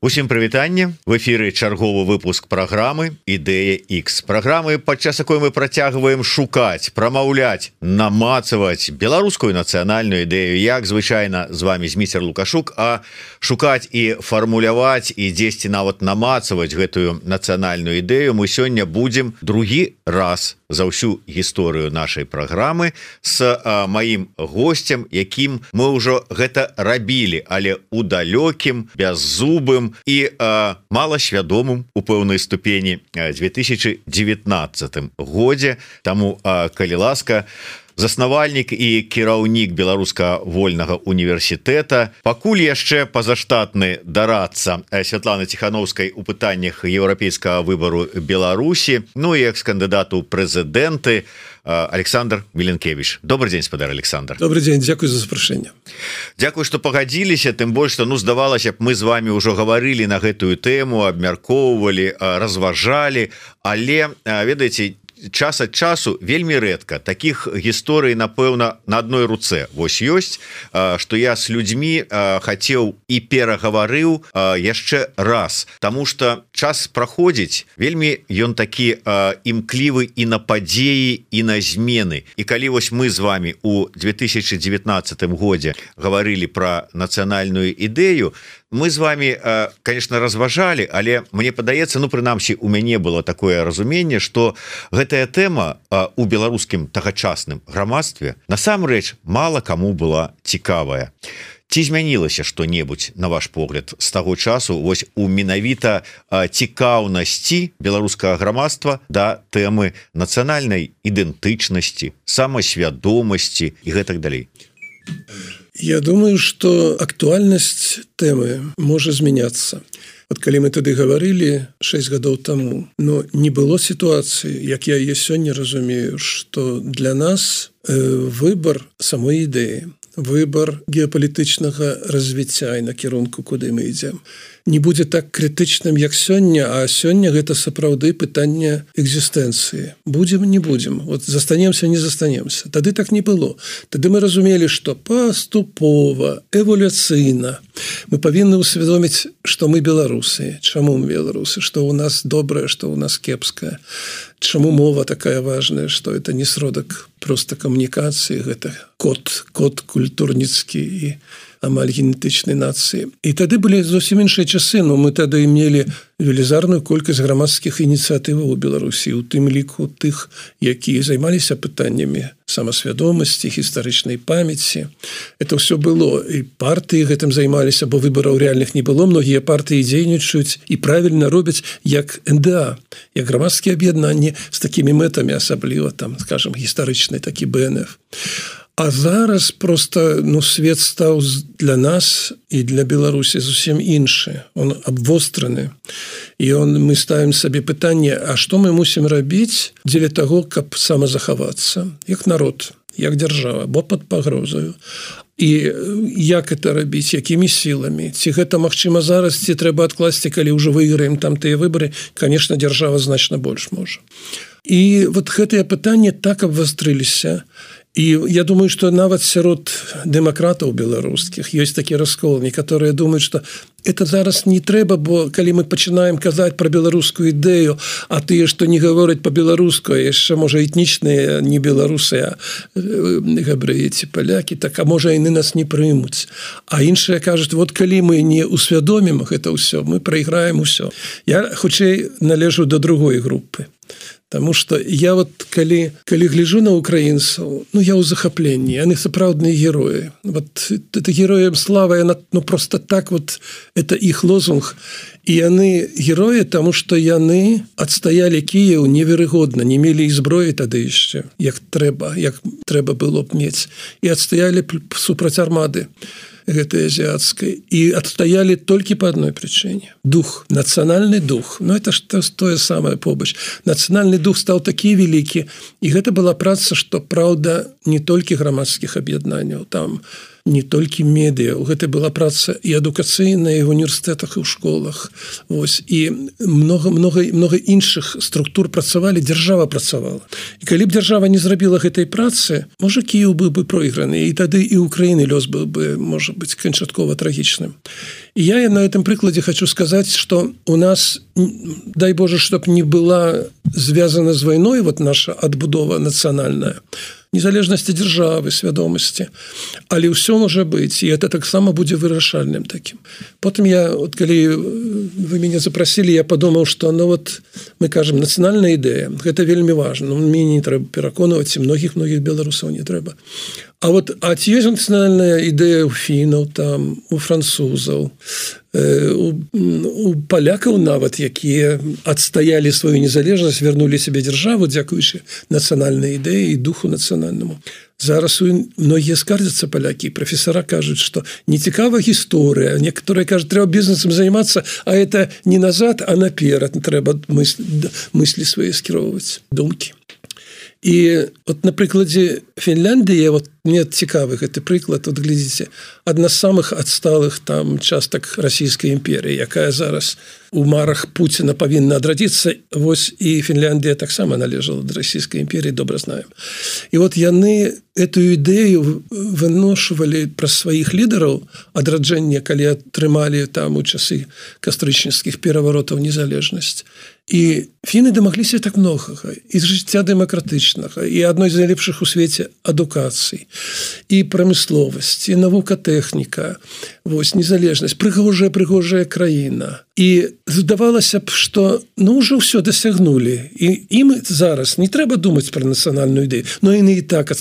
Усім прывітанне, в эфіры чарговы выпуск праграмы Ідэя X. Праграмы, падчас якой мы працягваем шукаць, прамаўляць, намацаваць беларускую нацыянальную ідэю. Як звычайна з вами Зміцер Лукашук, а шукаць і фармуляваць і дзесьці нават намацаваць гэтую нацыянальную ідэю мы сёння будзем другі раз за ўсю гісторыю нашай праграмы с маім госцем, якім мы ўжо гэта рабілі, але у далёкім, бяззубым і маласвядомым у пэўнай ступені 2019 годзе. Таму, калі ласка, заснавальнік і кіраўнік Беларускага вольнага універсітэта, пакуль яшчэ пазаштатны дарадца Святланы Ціхановскай у пытаннях еўрапейскага выбару Беларусі, ну і экс-кандыдат у прэзідэнты Александр Міленкевич. Добрый день, спадар Александр. Добрый день, дзякуй за запрашэнне. Дзякуй, што пагадзіліся, тым больш, што здавалася б, мы з вами ўжо гаварылі на гэтую тэму, абмяркоўвалі, разважалі, але, ведаеце, час ад часу вельмі рэдка таких гісторый, напэўна, на адной руцэ вось ёсць, што я с людзьмі хацеў і перагаварыў яшчэ раз, таму што час праходзіць, вельмі ён такі імклівы і на падзеі, і на змены. І калі вось мы з вами у 2019 годзе гаварылі пра нацыянальную ідэю, мы з вами, конечно, разважалі, але мне падаецца, ну, прынамсі, у мяне было такое разуменне, што гэтая тэма у беларускім тагачасным грамадстве насамрэч мала каму была цікавая. Ці змянілася што-небудзь, на ваш погляд, з таго часу вось у менавіта цікаўнасці беларускага грамадства да тэмы нацыянальнай ідэнтычнасці, самасвядомасці і гэтак далей? Я думаю, что актуальность темы может изменяться. Вот калі мы тады говорили 6 гадоў тому, но не было ситуации, як я ее сегодня разумею, что для нас выбор самой идеи, выбор геополітычнага развіцця і накірунку, куды мы ідзем, не будзе так крытычным, як сёння, а сёння гэта сапраўды пытанне экзістэнцыі. Будзем, не будзем, вот застанемся, не застанемся. Тады так не было. Тады мы разумелі, што паступова, эволюцыйна мы павінны ўсвядоміць, што мы беларусы. Чаму мы беларусы? Што ў нас добрае, што ў нас кепскае. Чаму мова такая важная, што это не сродак проста камунікацыі, гэта код культурніцкі і амаль генетычнай нацыі. І тады былі зусім іншыя часы, но мы тады мелі велізарную колькасць грамадскіх ініцыятываў у Беларусі, у тым ліку тых, якія займаліся пытаннямі самасвядомасці, гістарычнай памяці. Это ўсё было, і партыі гэтым займаліся, бо выбараў рэальных не было. Многія партыі дзейнічаюць і правільна робяць як НДА, як грамадскія аб'яднанні з такімі мэтамі, асабліва там, скажем, гістарычнай, такі БНФ. А зараз просто, свет стаў для нас і для Беларусі зусім іншы. Он абвостраны. І мы ставім сабе пытанне, а што мы мусім рабіць дзеля таго, каб самазахавацца, як народ, як дзяржава, бо пад пагрозаю. І як это рабіць, якімі сіламі? Ці гэта магчыма зараз, ці трэба адкласці, калі ўжо выйграем там тыя выбары? Конечно, дзяржава значна больш можа. І вот гэтыя пытанні так абвастрыліся. І я думаю, што нават сярод дэмакратаў беларускіх ёсць такі раскол. Некаторыя думаюць, што это зараз не трэба, бо калі мы пачынаем казаць пра беларускую ідэю, а тыя, што не гавораць па-беларуску, яшчэ, можа, этнічныя не беларусы, а габрэі ці палякі, так, а можа, яны нас не прымуць. А іншыя кажуць, вот калі мы не усвядомім гэта ўсё, мы прайграем усё. Я, хутчэй, належу да другой групы. Таму што я вот, калі гляджу на украінцаў, я ў захапленні, яны сапраўдныя героі. Вот это героям слава, яна, просто так вот, это іх лозунг. І яны героі, таму што яны адстаялі Кіеў неверагодна, не мелі і зброі тады яшчэ, як трэба было б мець. І адстаялі супраць армады гэтай азіацкай. І адстаялі толькі па адной прычыне. Дух, нацыянальны дух. Это ж тое самае побач. Нацыянальны дух стаў такі вялікі. І гэта была праца, што, праўда, не толькі грамадскіх аб'яднанняў. Там не толькі медыа, гэта была праца і адукацыйная в універсітэтах і ў школах. Вось. І много іншых структур працавалі, дзяржава працавала. І калі б дзяржава не зрабіла гэтай працы, можа, Кіеў быў бы пройграны, і тады і Украіны лёс быў бы, можа быць, канчаткова трагічным. І я на этом прыкладе хочу сказаць, што у нас, дай Боже, чтоб не была звязана з вайной вот наша адбудова нацыянальная, незалежнасці дзяржавы, свядомасці, але ўсё можа быць, і это таксама будзе вырашальным таким. Потым я, вот, калі вы мяне запросілі, я подумаў, што вот мы кажам, нацыянальная ідэя, гэта вельмі важна, мне не трэба пераконваць, і многіх беларусаў не трэба. А ці ёсць нацыянальная ідэя ў фінаў, там, у французаў, у палякаў нават, якія адстаялі сваю незалежнасць, вярнулі сябе дзяржаву, дзякуючы нацыянальнай ідэі і духу нацыянальнаму. Зараз многія скардзяцца палякі, прафесара кажуць, што не цікава гісторыя, некаторыя кажуць, трэба бізнесам займацца, а это не назад, а наперад, трэба мыслі свае скіроўваць, думкі. І от на прыкладзе Фінляндыі, вот мне цікавы гэты прыклад, вот глядзіце, адна з самых адсталых там частак расійскай імперіі, якая зараз у марах Пуціна павінна адрадзіцца, вось і Фінляндыя таксама належала да расійскай імперіі, добра знаем. І вот яны эту ідэю выношвалі праз сваіх лідараў адраджэння, калі атрымалі там у часы кастрычніцкіх пераваротаў незалежнасць. І фіны дамагліся так многага, і жыцця дэмакратычнага, і адной з найлепшых у свеце адукацый, і прамысловасць, і навука тэхніка, вось, незалежнасць, прыгожая краіна. І здавалася б, што ўжо ўсё дасягнулі, і ім зараз не трэба думаць пра нацыянальную ідэю, но яны і так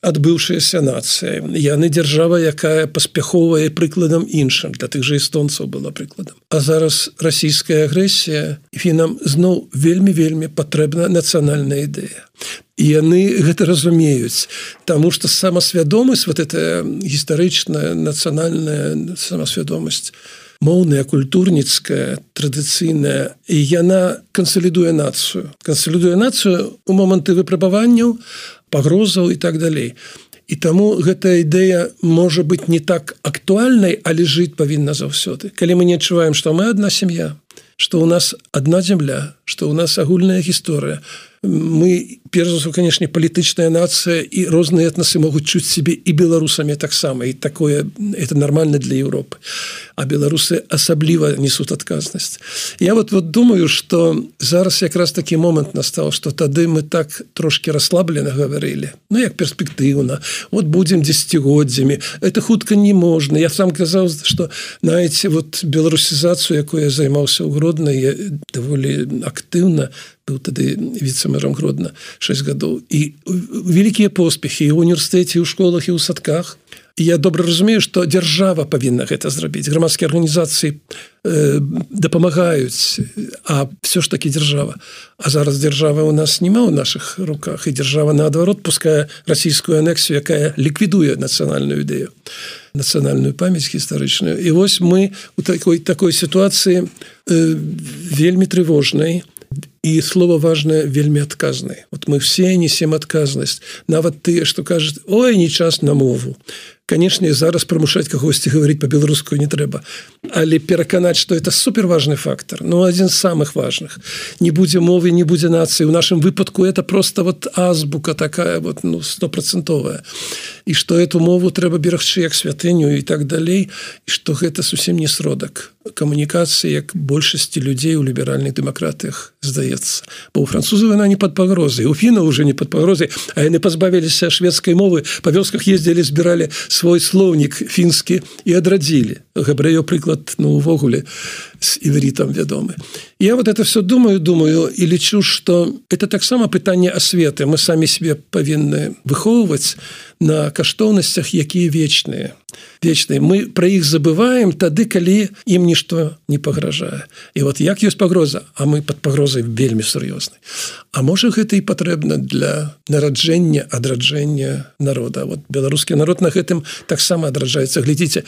адбыўшаяся нацыя. Яны дзяржава, якая паспяховая прыкладам іншым, для тых жа эстонцаў была прыкладам. А зараз расійская агрэсія, фінам зноў вельмі патрэбна нацыянальная ідэя. І яны гэта разумеюць, таму што самасвядомасць, вот эта гістарычная, нацыянальная самасвядомасць, моўная, культурніцкая, традыцыйная, і яна кансалідуе нацыю. Кансалідуе нацыю ў моманты выпрабаванняў, пагрозаў і так далей. І таму гэтая ідэя можа быць не так актуальнай, але жыць павінна заўсёды. Калі мы не адчуваем, што мы адна сям'я, што ў нас адна зямля, што ў нас агульная гісторыя, мы, перш за ўсё, канешне, палітычная нацыя, і розныя этнасы могуць чуць сябе і беларусамі таксама, і такое, это нормально для Европы. А беларусы асабліва несуць адказнасць. Я вот думаю, што зараз якраз такі момант настаў, што тады мы так трошки расслаблена гаварылі, як перспектыўна, вот будзем дзесяцігоддзямі, это хутка не можна. Я сам казаў, што, знаете, вот беларусізацыю, якую я займаўся ў Гроднай, я даволі актыўна быў тады віцэмэрам Гродна 6 гадоў. І вялікія поспехі і ў універсітэце, і ў школах, і ў садках. І я добра разумею, што дзяржава павінна гэта зрабіць. Грамадскія арганізацыі дапамагаюць, а все ж таки дзяржава. А зараз дзяржава у нас няма ў нашых руках, і дзяржава, наадварот, пускае расійскую анексію, якая ліквідуе нацыянальную ідэю, нацыянальную памяць гістарычную. І вось мы у такой сітуацыі вельмі трывожнай, і слово важное, вельмі адказнае. Вот мы все несем адказнасць. Нават тыя, што кажуць, ой, не час на мову. Канешне, зараз прымушаць кагосьці гаварыць па-беларуску не трэба. Але пераканаць, што это суперважны фактор, адзін з самых важных. Не будзе мовы, не будзе нацыі. У нашым выпадку это просто вот азбука такая, 100%. І што эту мову трэба берагчы як святыню і так далей. І што гэта зусім не сродак камунікацыі, як большасці людзей у ліберальных дэмакратыях здаецца. Бо ў французаў яна не пад пагрозай, у фінаў уже не пад пагрозай, а яны пазбавіліся шведскай мовы, па вёсках ездзілі, збіралі свой слоўнік фінскі і адрадзілі. Габрэё прыклад, увогуле, з іврітам вядомы. Я вот это все думаю і лічу, што это таксама пытанне асветы. Мы самі себе павінны выхоўваць на каштоўнасцях, якія вечныя. Мы пра іх забываем тады, калі ім нішто не пагражае. І вот як ёсць пагроза, а мы пад пагрозай вельмі сур'ёзнай. А можа, гэта і патрэбна для нараджэння, адраджэння народа. Вот беларускі народ на гэтым таксама адраджаецца. Глядзіце,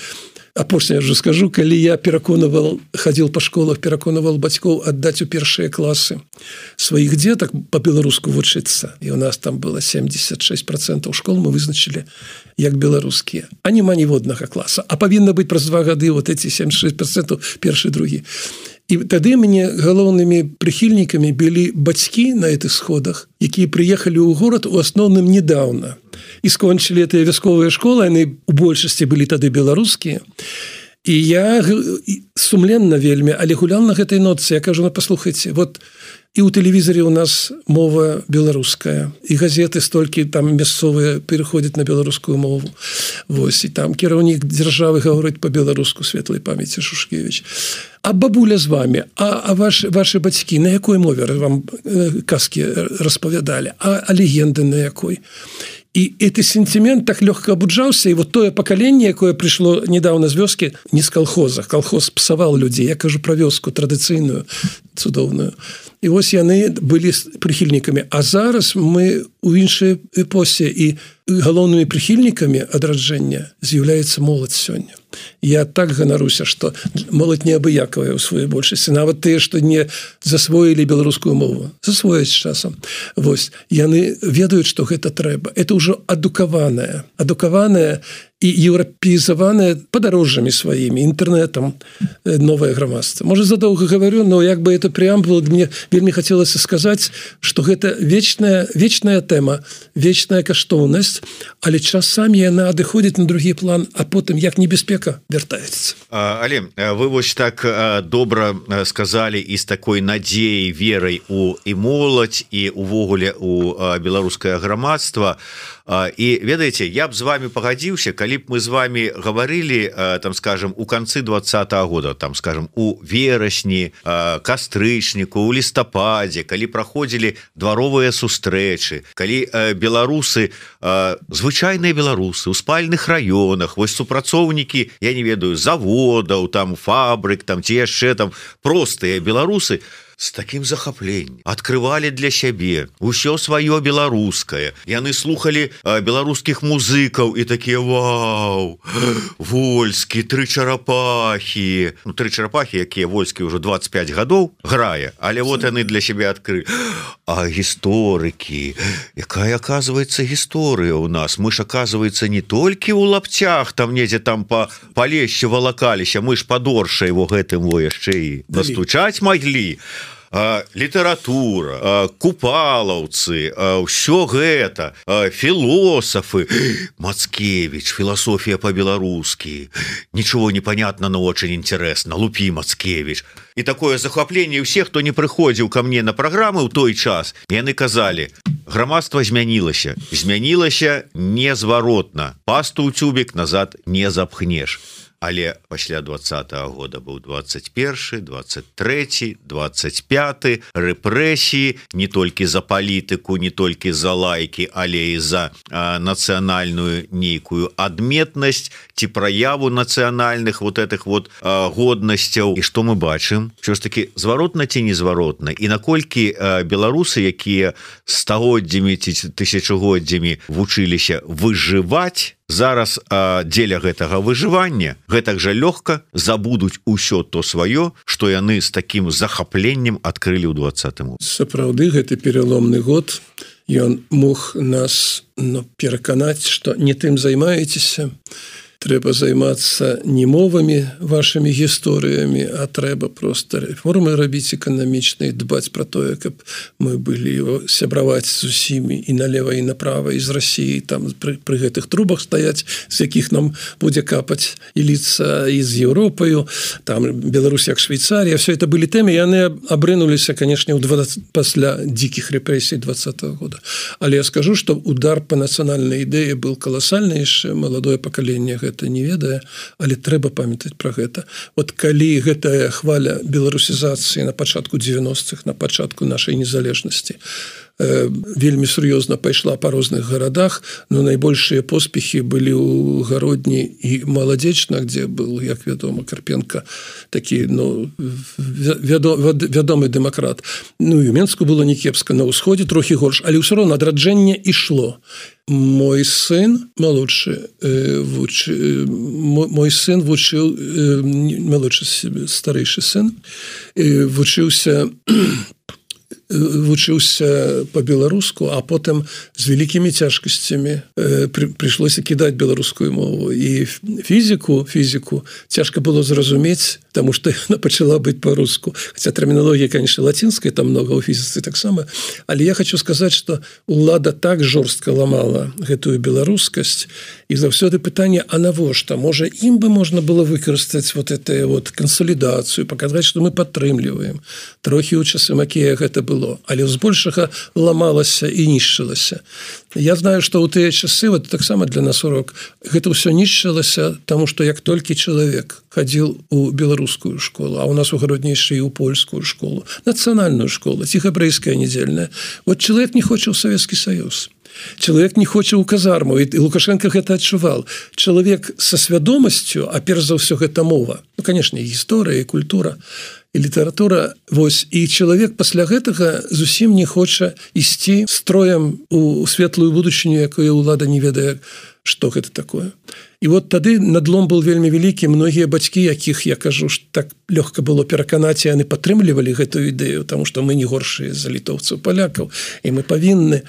апошняе ўжо скажу, калі я хадзіл па школах, пераконваў бацькоў аддаць у першыя класы сваіх дзетак па-беларуску вучыцца. І у нас там было 76% школ мы вызначылі як беларускія. А нема ніводнага класа. А павінна быць праз 2 гады вот эти 76% першы, другі. І тады мне галоўнымі прыхільнікамі былі бацькі на гэтых сходах, якія прыехалі ў горад у асноўным недаўна. І скончылі гэтыя вясковыя школы, яны у большасці былі тады беларускія. І я сумленна вельмі, але гулял на гэтай нотцы, я кажу, паслухайце, вот і ў тэлевізоры у нас мова беларуская, і газеты столькі там мясцовыя пераходзяць на беларускую мову. Вось, і там кіраўнік дзяржавы гаворыць па-беларуску, светлай памяці Шушкевіч. А бабуля з вами, а ваши бацькі на якой мове вам казкі распавядалі, а легенды на якой? І гэты сентимент так лёгка абуджаўся, і вот тое пакаленне, якое прыйшло недавно з вёскі, не з калхоза. Калхоз псаваў людзей. Я кажу пра вёску традыцыйную, цудоўную. І вось яны былі прыхільнікамі. А зараз мы у іншай эпосе, і галоўнымі прыхільнікамі адраджэння з'яўляецца моладзь сёння. Я так ганаруся, што моладзь неабыякавая ў сваёй большасці. Нават тыя, што не засвоілі беларускую мову. Засвояць часам. Вось. Яны ведаюць, што гэта трэба. Это ўжо адукаванае і еўрапеізаванае падарожжамі сваімі, інтэрнэтам новае грамадства. Можа, задоўга гаварю, но як бы это преамбула, мне вельмі хацелася сказаць, што гэта вечная тэма, вечная каштоўнасць, але часамі яна адыходзіць на другі план, а потым як небяспека вяртаецца. Але вы вось так добра сказалі і з такой надзеяй, верай у і моладзь, і увогуле у беларускае грамадства. І ведаеце, я б з вами пагадзіўся, калі б мы з вами гаварылі, там скажем, у канцы 20-го года, там скажем, у верасні, кастрычніку, у лістападзе, калі праходзілі дваровыя сустрэчы, калі беларусы, звычайныя беларусы у спальных раёнах, вось супрацоўнікі, я не ведаю, заводаў, там фабрык, там ці яшчэ там простыя беларусы с таким захапленнем открывали для сябе ўсё сваё беларускае. Яны слухали беларускіх музыкаў і такія: вау, Вольскі, Тры чарапахі. Ну, Тры чарапахі, якія Вольскі ўжо 25 гадоў грае, але вот яны для сябе адкрылі. А гісторыкі, якая, оказывается, гісторыя ў нас. Мы ж, оказывается, не толькі ў лапцях там недзе там па лесе валакаліся, мы ж падоршай во гэтым во яшчэ і настучаць маглі. Літаратура, купалаўцы, ўсё гэта, філосафы. Мацкевич, философия по-белорусски. Ничего не понятно, но очень интересно. Лупи, Мацкевич. И такое захопление у всех, кто не прыходзіў ко мне на программы ў той час. Яны казалі: грамадства змянілася незваротна. Пасту ў цюбік назад не запхнеш. Але пасля 20-го года быў 21, 23, 25 рэпрэсіі не толькі за палітыку, не толькі за лайкі, але і за нацыянальную нейкую адметнасць ці праяву нацыянальных вот этих вот годнасцяў. І што мы бачым? Що ж таки, зваротна ці незваротна? І наколькі беларусы, якія стагоддзямі ці тысячагоддзямі вучыліся выжываць, зараз дзеля гэтага выжывання гэтак жа лёгка забудуць усё то сваё, што яны з такім захапленнем адкрылі ў 20-м. Сапраўды, гэты пераломны год, ён мог нас пераканаць, што не тым займаецеся. Трэба займацца не мовамі, вашымі гісторыямі, а трэба проста рэформы рабіць эканамічныя, дбаць пра тое, каб мы былі сябраваць з усімі і налева, і направа, і з Расіі, там пры гэтых трубах стаяць, з якіх нам будзе капаць і ліцца, і з Еўропаю, там Беларусь як Швейцарія, все это былі тэмы, яны абрынуліся, канешне, пасля дзікіх рэпрэсій 20-го года. Але я скажу, што удар па нацыянальнай ідэі быў каласальны, яшчэ маладое пакаленне гэта не ведае, але трэба памятаць пра гэта. Вот калі гэтая хваля беларусізацыі на пачатку 90-х, на пачатку нашай незалежнасці вельмі сур'ёзна пайшла па розных гарадах, но найбольшыя поспехі былі ў Гародні і Маладзечнах, дзе был, як вядома, Карпенко такі, ну, вядомы дэмакрат. Ну і ў Менску было не кепска, на ўсходзе трохі горш, але ўсё роўна адраджэнне ішло. Мой сын малодшы вучыў, малодшы, старэйшы сын вучыўся по-беларуску, а потым з вялікімі цяжкасцямі прыйшлося кідаць беларускую мову. І фізіку цяжка было зразумець, таму што яна пачала быць па-руску. Хаця тэрміналогія, конечно, лацінская, там много ў фізіцы таксама. Але я хочу сказаць, што ўлада так жорстка ламала гэтую беларускасць, і заўсёды пытанне, а навошта? Можа, ім бы можна было выкарыстаць вот эту вот кансалідацыю, паказаць, што мы падтрымліваем. Трохі ў часы Макея гэта было, але збольшага ламалася і нішчылася. Я знаю, што ў тыя часы, вот таксама для нас урок, гэта ўсё нішчылася, таму што як толькі чалавек хадзіл у беларускую школу, а у нас у Гародні яшчэ і ў польскую школу, нацыянальную школу, ці габрэйская нядзельная. Вот чалавек не хоча ў Савецкі Саюз. Чалавек не хоча ў казарму, і Лукашенко гэта адчувал. Чалавек са свядомасцю, а перш за ўсё гэта мова. Ну, конечно, і гісторыя, і культура, і літаратура. Вось, і чалавек пасля гэтага зусім не хоча ісці строем у светлую будучыню, якую ўлада не ведае, што гэта такое. І вот тады надлом был вельмі вялікі. Многія бацькі, якіх, я кажу, што так лёгка было пераканаць, і яны падтрымлівалі гэтую ідэю, таму што мы не горшыя за літоўцаў, палякаў, і мы павінны.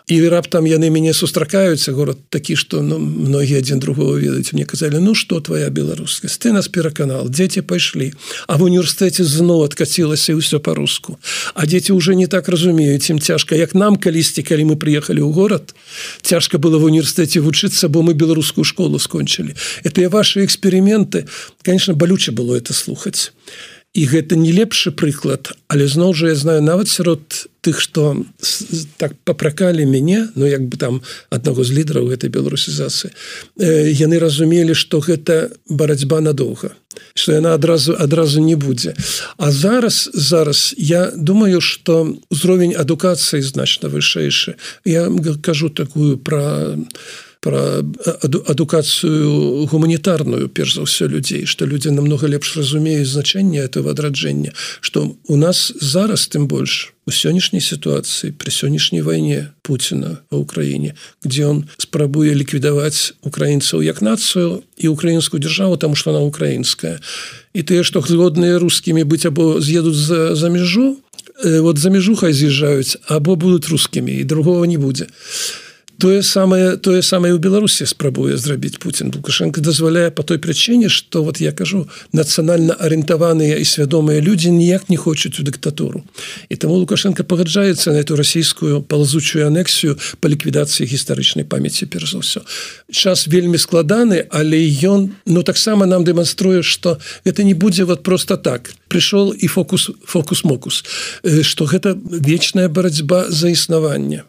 І раптам яны мяне сустракаюцца, горад такі, што многія адзін другого ведаюць. Мне казалі, ну што твоя беларускасць? Ты нас пераканал, дзеці пайшлі. А в універсітэце зноў адкацілася і ўсё па-руску. А дзеці ўжо не так разумеюць, ім цяжка. Як нам калісьці, калі мы прыехалі ў горад, цяжка было в універсітэце вучыцца, бо мы беларускую школу скончылі. Это ваши эксперименты. Конечно, балюча было это слухаць. І гэта не лепшы прыклад, але зноў жа я знаю нават сярод тых, што так папракалі мяне, ну як бы там аднаго з лідараў гэтай беларусізацыі, яны разумелі, што гэта барацьба надоўга, што яна адразу не будзе. А зараз я думаю, што ўзровень адукацыі значна вышэйшы. Я кажу такую пра адукацыю гуманітарную, перш за ўсё людзей, што людзі намного лепш разумеюць значэнне этого адраджэння, што у нас зараз, тым больш, у сённяшняй сітуацыі, пры сённяшняй вайне Пуціна ў Украіне, дзе он спрабуе ліквідаваць украінцаў як нацыю і украінскую дзяржаву, таму што она украінская. І тыя, што згодныя рускімі быць або з'едуць за мяжу, вот за мяжу хай з'язджаюць, або будуць рускімі, і другого не будзе. Тое самае ў Беларусі спрабуе зрабіць Пуцін. Лукашенко дазваляе по той прычыне, што, вот я кажу, нацыянальна арыентаваныя і свядомыя людзі ніяк не хочуць у дыктатуру. І таму Лукашенко пагаджаецца на эту расійскую палазучую анексію па ліквідацыі гістарычнай памяці, перш за ўсё. Час вельмі складаны, але ён, таксама нам дэманструе, што гэта не будзе вот просто так. Прыйшоў і фокус-мокус, што гэта вечная барацьба за існаванне.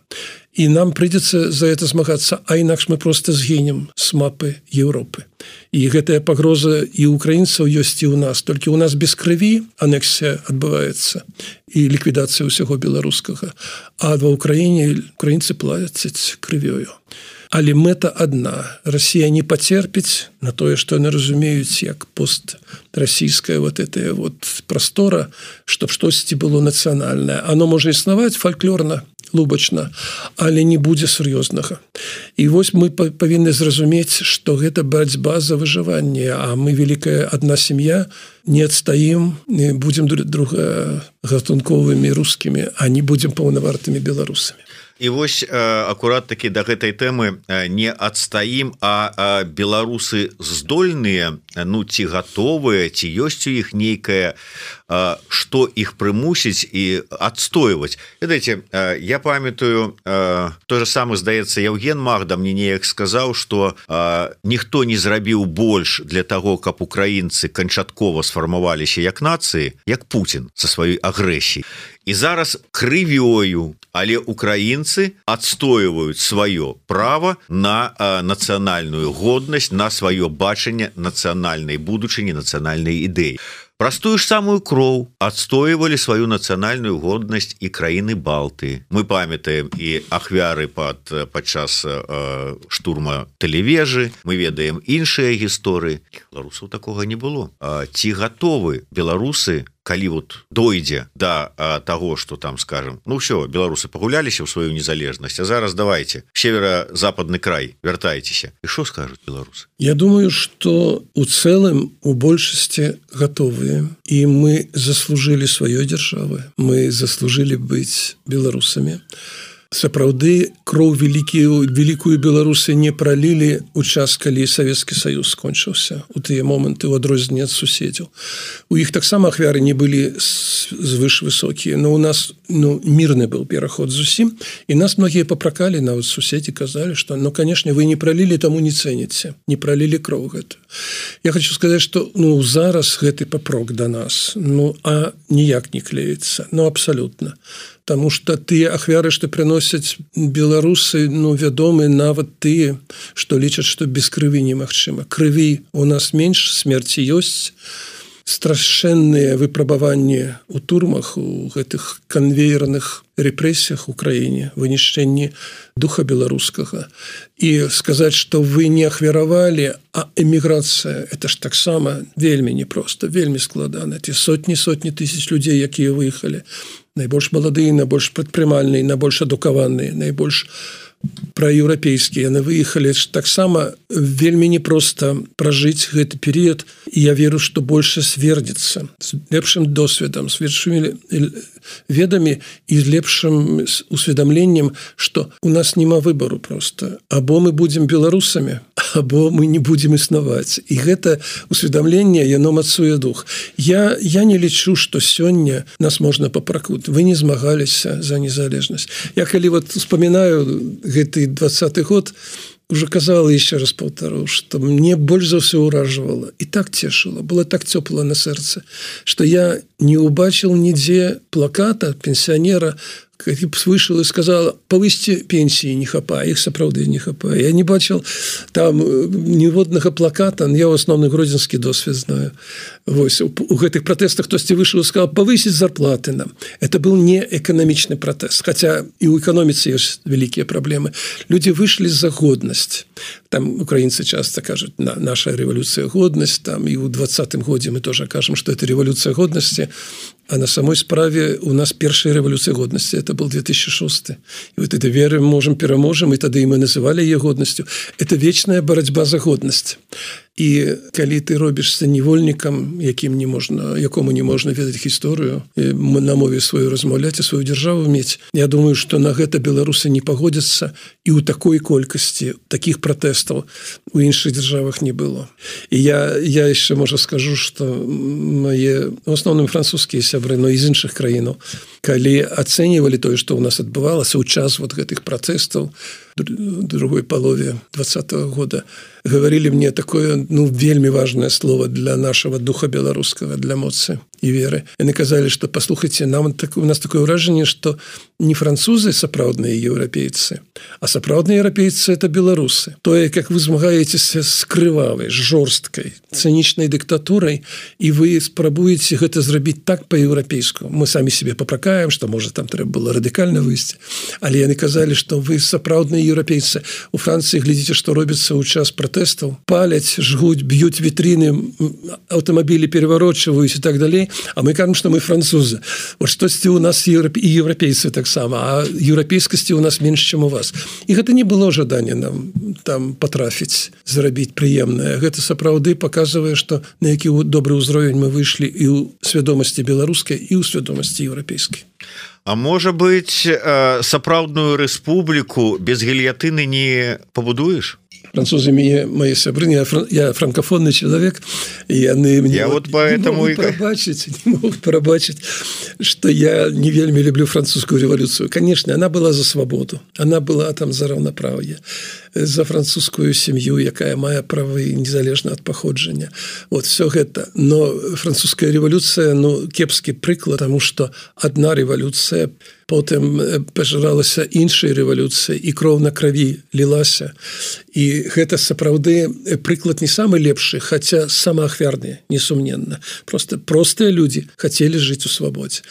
І нам прыйдзецца за это змагацца, а інакш мы просто згінем з мапы Еўропы. І гэтая пагроза і украінцаў ёсць і ў нас. Толькі ў нас без крыві анексія адбываецца і ліквідацыя ўсяго беларускага. А ва ўкраіне украінцы плацяць крывёю. Але мэта адна. Расія не пацерпіць на тое, што яны разумеюць як пострасійская вот эта вот прастора, чтоб штосьці было нацыянальнае. Оно можа існаваць фальклорна, лубачна, але не будзе сур'ёзнага. І вось мы павінны зразумець, што гэта барацьба за выжыванне, а мы великая адна сям'я, не адстаім, будзем другагатунковымі рускімі, а не будзем паўнавартымі беларусамі. І вось акурат такі да гэтай тэмы не адстаім, а беларусы здольныя, ці гатовыя, ці ёсць у іх нейкае, што іх прымусіць і адстойваць. Ведаеце, я памятаю, той же самы, здаецца, Евген Магда мне неяк сказаў, што ніхто не зрабіў больш для таго, каб украінцы канчаткова сфармаваліся як нацыі, як Пуцін са сваёй агрэсіяй. І зараз крывёю, але украінцы адстойваюць сваё права на нацыянальную годнасць, на сваё бачанне нацыянальнай будучыні, нацыянальнай ідэі. Праз тую ж самую кроў адстойвалі сваю нацыянальную годнасць і краіны Балты. Мы памятаем і ахвяры падчас штурма Тэлевежы, мы ведаем іншыя гісторыі. Беларусаў такога не было. Ці гатовы беларусы, калі вот дойдзе до того, что там, скажем, ну все, беларусы пагуляліся ў сваю незалежнасць, а зараз давайте северо-западны край, вяртайцеся. І што скажуць беларусы? Я думаю, что у цэлым у большасці гатовыя, і мы заслужили сваёй дзяржавы, мы заслужили быць беларусамі. Сапраўды, кроў великую беларусы не пролілі у час, калі Савецкі Саюз скончыўся, у тыя моманты, у адрозненне ад суседзяў. У іх таксама ахвяры не былі звышвысокія, но у нас мірны быў пераход зусім, і нас многія папракалі, нават суседзі казалі, што, конечно, вы не пролілі, таму не цэніце, не пролілі кроў гэту. Я хочу сказаць, што зараз гэты папрок да нас, а ніяк не клеіцца, абсолютно. Таму што тыя ахвяры, што прыносяць беларусы, вядомы нават тыя, што лічаць, што без крыві немагчыма. Крыві у нас менш, смерці ёсць, страшэнныя выпрабаванні ў турмах, у гэтых канвейерных рэпрэсіях у краіне, вынішчэнні духа беларускага. І сказаць, што вы не ахвяравалі, а эміграцыя, это ж таксама вельмі непроста, вельмі складана. Ці сотні тысяч людзей, якія выехалі, найбольш маладыя, найбольш прадпрымальныя, найбольш адукаваныя, найбольш праеўрапейскія, яны выехалі таксама вельмі непроста пражыць гэты перыяд, і я веру, што большасць вернецца з лепшым досведам, з лепшымі ведамі і з лепшым усведамленнем, што у нас няма выбару проста. Або мы будзем беларусамі, або мы не будзем існаваць. І гэта усведамленне, яно мацуе дух. Я не лічу, што сёння нас можна папракнуць. Вы не змагаліся за незалежнасць. Я калі успамінаю гэты 20-й год, уже казала, еще раз повторю, что мне больше за все ураживало и так тешило, было так тепло на сердце, что я не убачил нигде плаката пенсионера, который вышел и сказал, повысьте пенсии не хапае, их сапраўды не хапае. Я не бачил там ніводнага плаката, я в основном гродзенскі досвед знаю. Вось, у гэтых протестах хтосьці вышел и сказал, повысить зарплаты нам. Это был не экономичный протест, хотя и у экономицы есть великие проблемы. Люди вышли за годность. Там украинцы часто кажут, наша революция годность, там и у 20-м году мы тоже кажем, что это революция годности, а на самой справе у нас первая революция годности, это был 2006. И вот это верим, можем, переможем, и тогда и мы называли ее годностью. Это вечная борьба за годность. І калі ты робішся невольнікам, якому не можна ведаць гісторыю, на мове сваю размаўляць і сваю дзяржаву мець, я думаю, што на гэта беларусы не пагодзяцца, і ў такой колькасці такіх пратэстаў у іншых дзяржавах не было. І я яшчэ, можа, скажу, што мае, в основном французскія сябры, но і з іншых краінаў, калі ацэньвалі тое, што ў нас адбывалася ў час гэтых пратэстаў, другой полове 20-го года, говорили мне такое, вельмі важное слово для нашего духа белорусского, для моцы и веры. Они сказали, что, послушайте, у нас такое выражение, что не французы сапраўдныя европейцы, а сапраўдныя европейцы – это белорусы. Тое, как вы змагаецеся с крывавой, жорсткой, циничной диктатурой, и вы спрабуеце гэта зрабіць так по-европейску. Мы сами себе попракаем, что, может, там трэба было радикально выйсці. Але яны казали, что вы сапраўдныя европейцы. У Франции, глядите, что робится у час протестов. Палять, жгут, бьют витрины, автомобили переворачивают и так далее. А мы кажем, что мы французы. Вот что-то у нас и европейцы так само, а европейскости у нас меньше, чем у вас. И это не было ожидание нам там потрафить, зарабить приемное. Это сапраўды показывает, что на який добрый узровень мы вышли и у свядомости белорусской, и у свядомости европейской. А может быть, сапраўдную республику без гильотины не побудуешь? Французы мои сябры, я франкофонный человек, и они мне не могут пробачить, что я не вельми люблю французскую революцию. Конечно, она была за свободу, она была там за равноправие, за французскую семью, якая мае правы незалежна от походжання. Вот все это. Но французская революция, кепский прыклад, потому что одна революция потым пажыралася іншая рэвалюцыя і кроў на краві лілася. І гэта сапраўды прыклад не самы лепшы, хаця самаахвярны, несумненна. Просто простыя людзі хацелі жыць у свабодзе.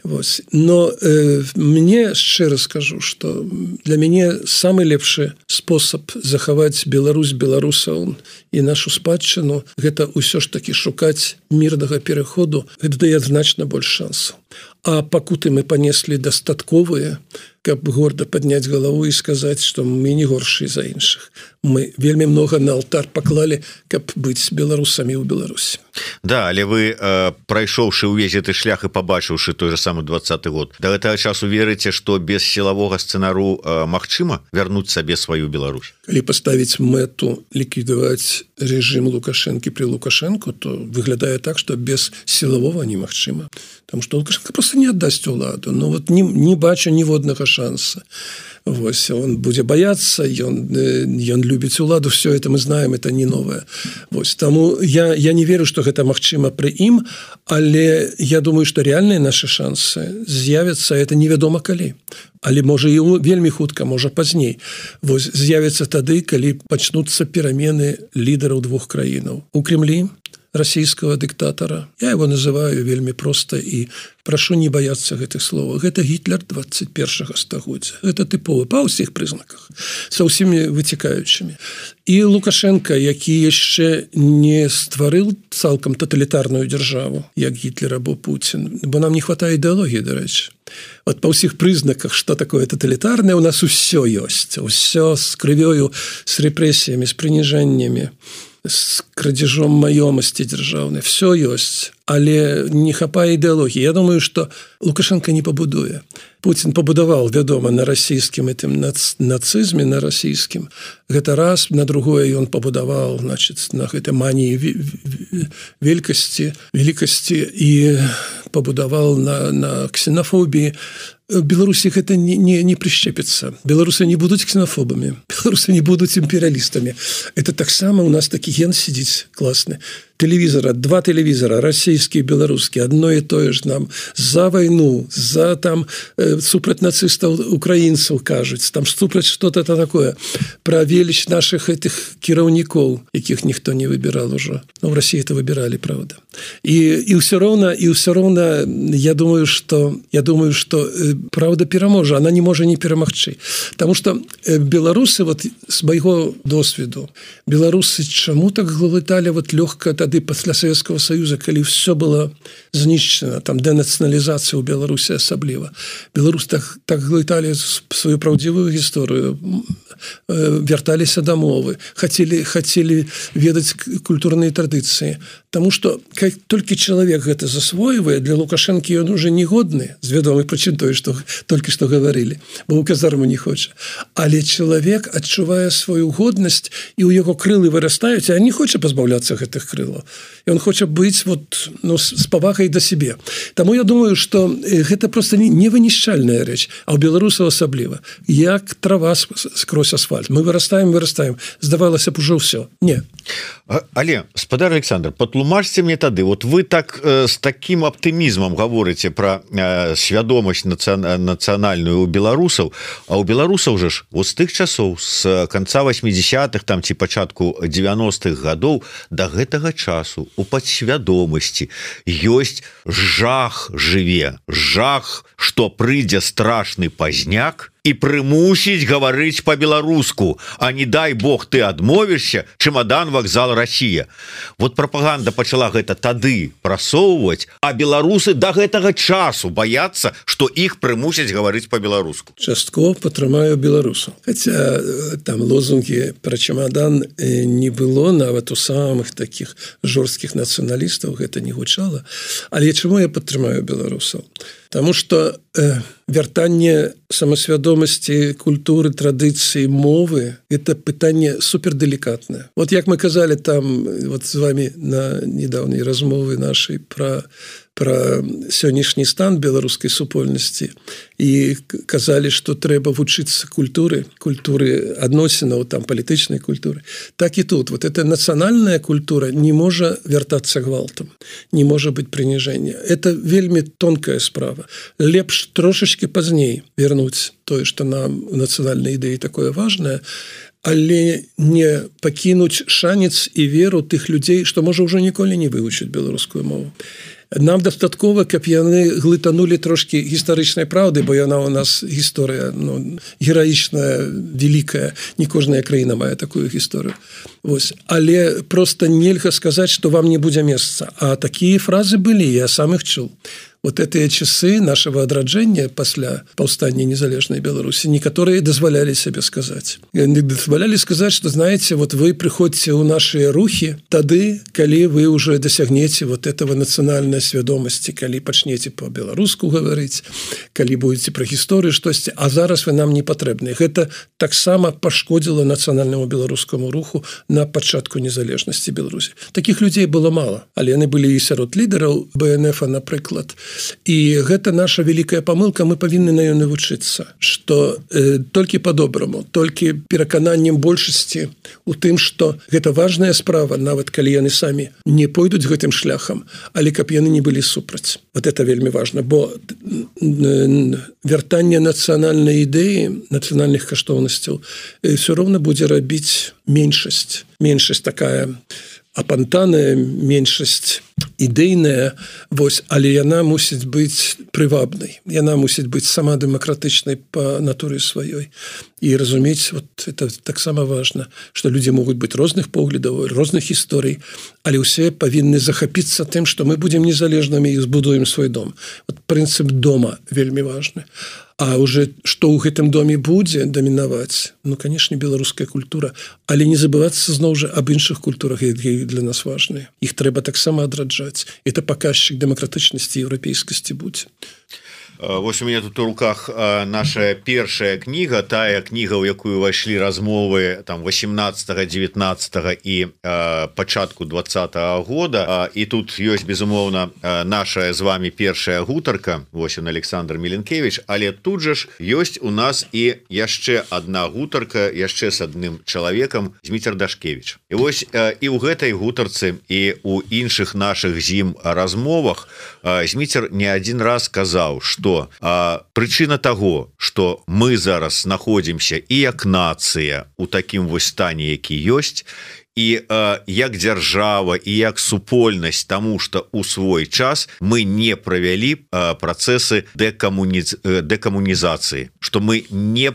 Вось. Но мне шчыра скажу, што для мяне самы лепшы спосаб захаваць Беларусь, беларусаў і нашу спадчыну, гэта ўсё ж такі шукаць мірнага пераходу, гэта дае значна больш шансаў. А пакуты мы панеслі дастатковыя, каб горда падняць галаву і сказаць, што мы не горшыя за іншых. Мы вельмі многа на алтар паклалі, каб быць беларусамі ў Беларусі. Да, але вы, прайшоўшы ўвесь гэты шлях і пабачыўшы той же самы 20-й год, да гэтага часу верыце, што без сілавога сцэнару магчыма вярнуць сабе сваю Беларусь? Калі паставіць мэту ліквідаваць рэжым Лукашэнкі при Лукашэнку, то выглядае так, што без сілавога немагчыма. Таму што Лукашенко просто не аддасць уладу. Ну вот не бачу ніводнага шанса. Вось, он будзе баяцца, ён любіць уладу, все это мы знаем, это не новое. Вось, таму я не верю, што гэта магчыма пры ім, але я думаю, што рэальныя нашы шансы з'явяцца, это невядома калі. Але можа і вельмі хутка, можа пазней. Вось, з'явяцца тады, калі пачнуцца перамены лідараў двух краінаў. У Кремлі расійскага дыктатара. Я его называю вельмі проста і прашу не баяцца гэтых словаў. Гэта Гітлер 21-го стагоддзя. Гэта тыповы па ўсіх прызнаках, са ўсімі выцікаючымі. І Лукашенко, які яшчэ не стварыў цалкам таталітарную дзяржаву, як Гітлер або Пуцін, бо нам не хватае ідэалогіі, дарэчы. Вот па ўсіх прызнаках, што такое таталітарнае, у нас усё ёсць. Усё з крывёю, з рэпрэсіямі, з прыніжэннямі, з крадзежом маёмасці дзяржаўнай. Все ёсць, але не хапае ідэалогіі. Я думаю, што Лукашенко не пабудуе. Пуцін пабудаваў, вядома, на расійскім гэтым нацызме, на расійскім. Гэта раз, на другое ён пабудаваў, значит, на гэтай маніі великасці і пабудаваў на ксенафобіі. Беларусі гэта не прышчэпіцца. Беларусы не будуць ксенафобамі, беларусы не будуць імперыялістамі. Это таксама у нас такі ген сидзіць класны. Телевизора, два телевизора, расійскі і беларускі, одно і тое ж нам за вайну, за там супраць нацыстаў украінцаў кажуць, там супраць что-то такое, про велич наших этих кіраўнікоў, якіх ніхто не выбірал уже. Но в России это выбирали, правда. И все равно, я думаю, что правда пераможа, она не можа не перамагчы. Потому что беларусы, вот с майго досведу, беларусы чаму так глыталі вот лёгка тады пасля Савецкага Саюза, калі все было знішчана, там дэнацыяналізацыя ў Беларусі асабліва. Беларусы так глыталі сваю праўдзівую гісторыю, вярталіся да мовы, хацелі ведаць культурныя традыцыі. Таму што толькі чалавек гэта засвойвае, для Лукашэнкі ён уже негодны, з вядомых прычын тое, што толькі што гаварылі, бо ў казарму не хоча. Але чалавек адчувае сваю годнасць, і ў яго крылы вырастаюць, а не хоча пазбаўляцца гэтых крылаў. Ён хоча быць з павагай да сябе. Таму я думаю, што гэта проста невынішчальная рэч, а ў беларусаў асабліва. Як трава скрозь асфальт. Мы вырастаем, здавалася б ужо ўсё. Не. Але, спадар Александр, патлумачце мне тады, вот вы так с таким аптымізмам гаворыце про свядомасць нацыянальную у беларусаў, а у беларусаў же ж вот з тых часоў, з конца 80-х там ці пачатку 90-х гадоў да гэтага часу у падсвядомасці ёсць жах жыве, жах, што прыйдзе страшны пазняк і прымусіць гаварыць па-беларуску, а не дай Бог ты адмовішся, чемодан, вакзал, Россия. Вот прапаганда пачала гэта тады прасоўваць, а беларусы да гэтага часу баяцца, што іх прымусяць гаварыць па-беларуску. Часткова падтрымаю беларусаў. Хаця там лозунгі пра чемодан не было, нават у самых такіх жорсткіх нацыяналістаў гэта не гучала. Але чаму я падтрымаю беларусаў? Таму што вяртанне самасвядомасці, культуры, традыцыі, мовы – это пытанне супердэлікатнае. Вот як мы казалі там вот з вами на недаўняй размовы нашай пра пра сённяшні стан беларускай супольнасці і казалі, што трэба вучыцца культуры адносінаў, там палітычнай культуры. Так і тут. Вот эта нацыянальная культура не можа вяртацца гвалтам, не можа быць прыніжэння. Это вельмі тонкая справа. Лепш трошачкі пазней вернуць тое, што нам у нацыянальнай ідэі такое важнае, але не пакінуць шанец і веру тых людзей, што можа ўжо ніколі не вывучыць беларускую мову. Нам дастаткова, каб яны глытанулі трошкі гістарычнай праўды, бо яна у нас гісторыя гераічная, великая. Не кожная краіна мае такую гісторыю. Вось. Але просто нельга сказаць, што вам не будзе месца. А такія фразы былі, я сам іх чуў. Вот этыя часы нашего адраджэння пасля паўстання незалежнай Беларусі некаторыя дазвалялі сабе сказаць. Яны дазвалялі сказаць, што, знаеце, вот вы прыходзьце ў нашыя рухі тады, калі вы ўжо дасягнеце вот этого нацыянальнай свядомасці, калі пачнеце па-беларуску гаварыць, калі будзеце пра гісторыю штосьці, а зараз вы нам не патрэбны. Гэта таксама пашкодзіла нацыянальнаму беларускаму руху на пачатку незалежнасці Беларусі. Такіх людзей было мала, але яны былі і сярод лідараў БНФ, напрыклад. І гэта наша вялікая памылка, мы павінны на ёй навучыцца, што толькі па-добраму, толькі перакананнем большасці у тым, што гэта важная справа, нават калі яны самі не пойдуць гэтым шляхам, але каб яны не былі супраць. Вот это вельмі важна, бо вяртанне нацыянальнай ідэі, нацыянальных каштоўнасцяў все роўна будзе рабіць меншасць. Меншасць такая апантаная, меншасць ідэйная, вось, але яна мусіць быць прывабнай. Яна мусіць быць сама дэмакратычнай па натуры сваёй. І разумець, вот это таксама важна, што людзі могуць быць розных поглядаў, розных гісторый, але ўсе павінны захапіцца тым, што мы будзем незалежнымі і збудуем свой дом. Вот прынцып дома вельмі важны. А уже што ў гэтым доме будзе дамінаваць? Канешне, беларуская культура, але не забывацца зноў жа аб іншых культурах, якія для нас важныя. Іх трэба таксама адраджаць. Это паказчык дэмакратычнасці і еўрапейскасці будзе. Вось у меня тут у руках наша першая кніга, тая кніга, у якую ўвайшлі размовы там 18-19 і пачатку 20-го года. І тут ёсць, безумоўна, наша з вами першая гутарка, вось он, Александр Міленкевич, але тут жа ж ёсць у нас і яшчэ адна гутарка, яшчэ з адным чалавекам, Зміцер Дашкевич. І вось і ў гэтай гутарцы, і ў іншых нашых з ім размовах Зміцер не адзін раз казаў, што прычына таго, што мы зараз знаходзімся і як нацыя у такім вось стане, які ёсць, і як дзяржава і як супольнасць, таму што ў свой час мы не правялі працэсы дэкамунізацыі, што мы не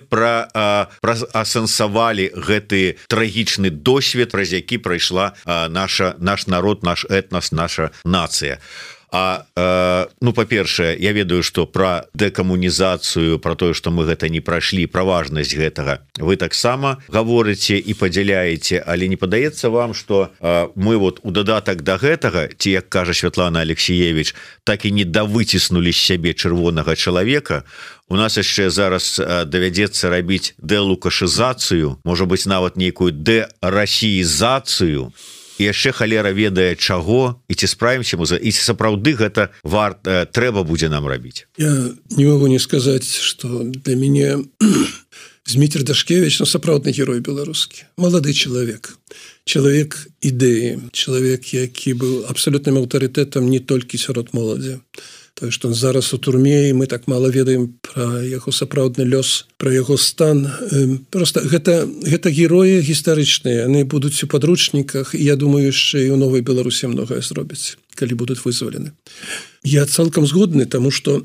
асэнсавалі гэты трагічны досвед, праз які прайшла наш народ, наш этнас, наша нацыя. Па-першае, я ведаю, што пра дэкамунізацыю, пра тое, што мы гэта не прайшлі, пра важнасць гэтага вы таксама гаворыце і падзяляеце, але не падаецца вам, што мы вот у дадатак да гэтага, ці, як кажа Святлана Алексеевич, так і не давыціснулі з сябе чырвонага чалавека, у нас яшчэ зараз давядзецца рабіць дэлукашызацыю, можа быць, нават нейкую дэрасіізацыю, і яшчэ халера ведае чаго, і ці справімся мы, і ці сапраўды гэта трэба будзе нам рабіць. Я не могу не сказаць, што для мяне Зміцер Дашкевич сапраўдны герой беларускі, малады чалавек ідэі, чалавек, які быў абсалютным аўтарытэтам не толькі сярод моладзі. Тое, што зараз у турме, і мы так мала ведаем пра яго сапраўдны лёс, пра яго стан. Просто гэта героі гістарычныя, яны будуць у падручніках, і я думаю, яшчэ і ў Новай Беларусі многае зробяць, калі будуць вызвалены. Я цалкам згодны, таму што,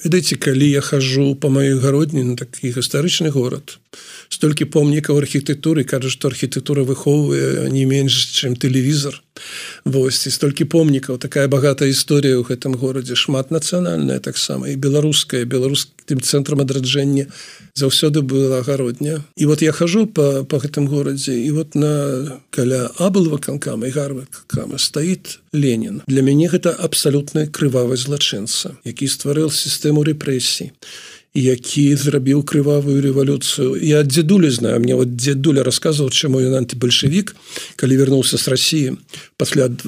ведаеце, калі я хожу па маёй гародні на такі гістарычны горад, столькі помнікаў архітэктуры, кажа, што архітэктура выхоўвае не менш, чым тэлевізор. Вось, і столькі помнікаў, такая багатая гісторыя ў гэтым горадзе, шмат нацыянальная таксама, і беларуская, беларускім цэнтрам адраджэння заўсёды была гародня. І вот я хожу па гэтым горадзе, і вот каля аблвыканкама і гарвыканкама стаіць Ленін. Для мяне гэта абсалютна крывавы злачынца, які стварыў сістэму рэпрэсій, які зрабіў крывавую рэвалюцыю. Я ад дзедулі знаю, мне вот дзедуля расказваў, чаму ён антыбальшавік, калі вярнуўся з Расіі пасля 2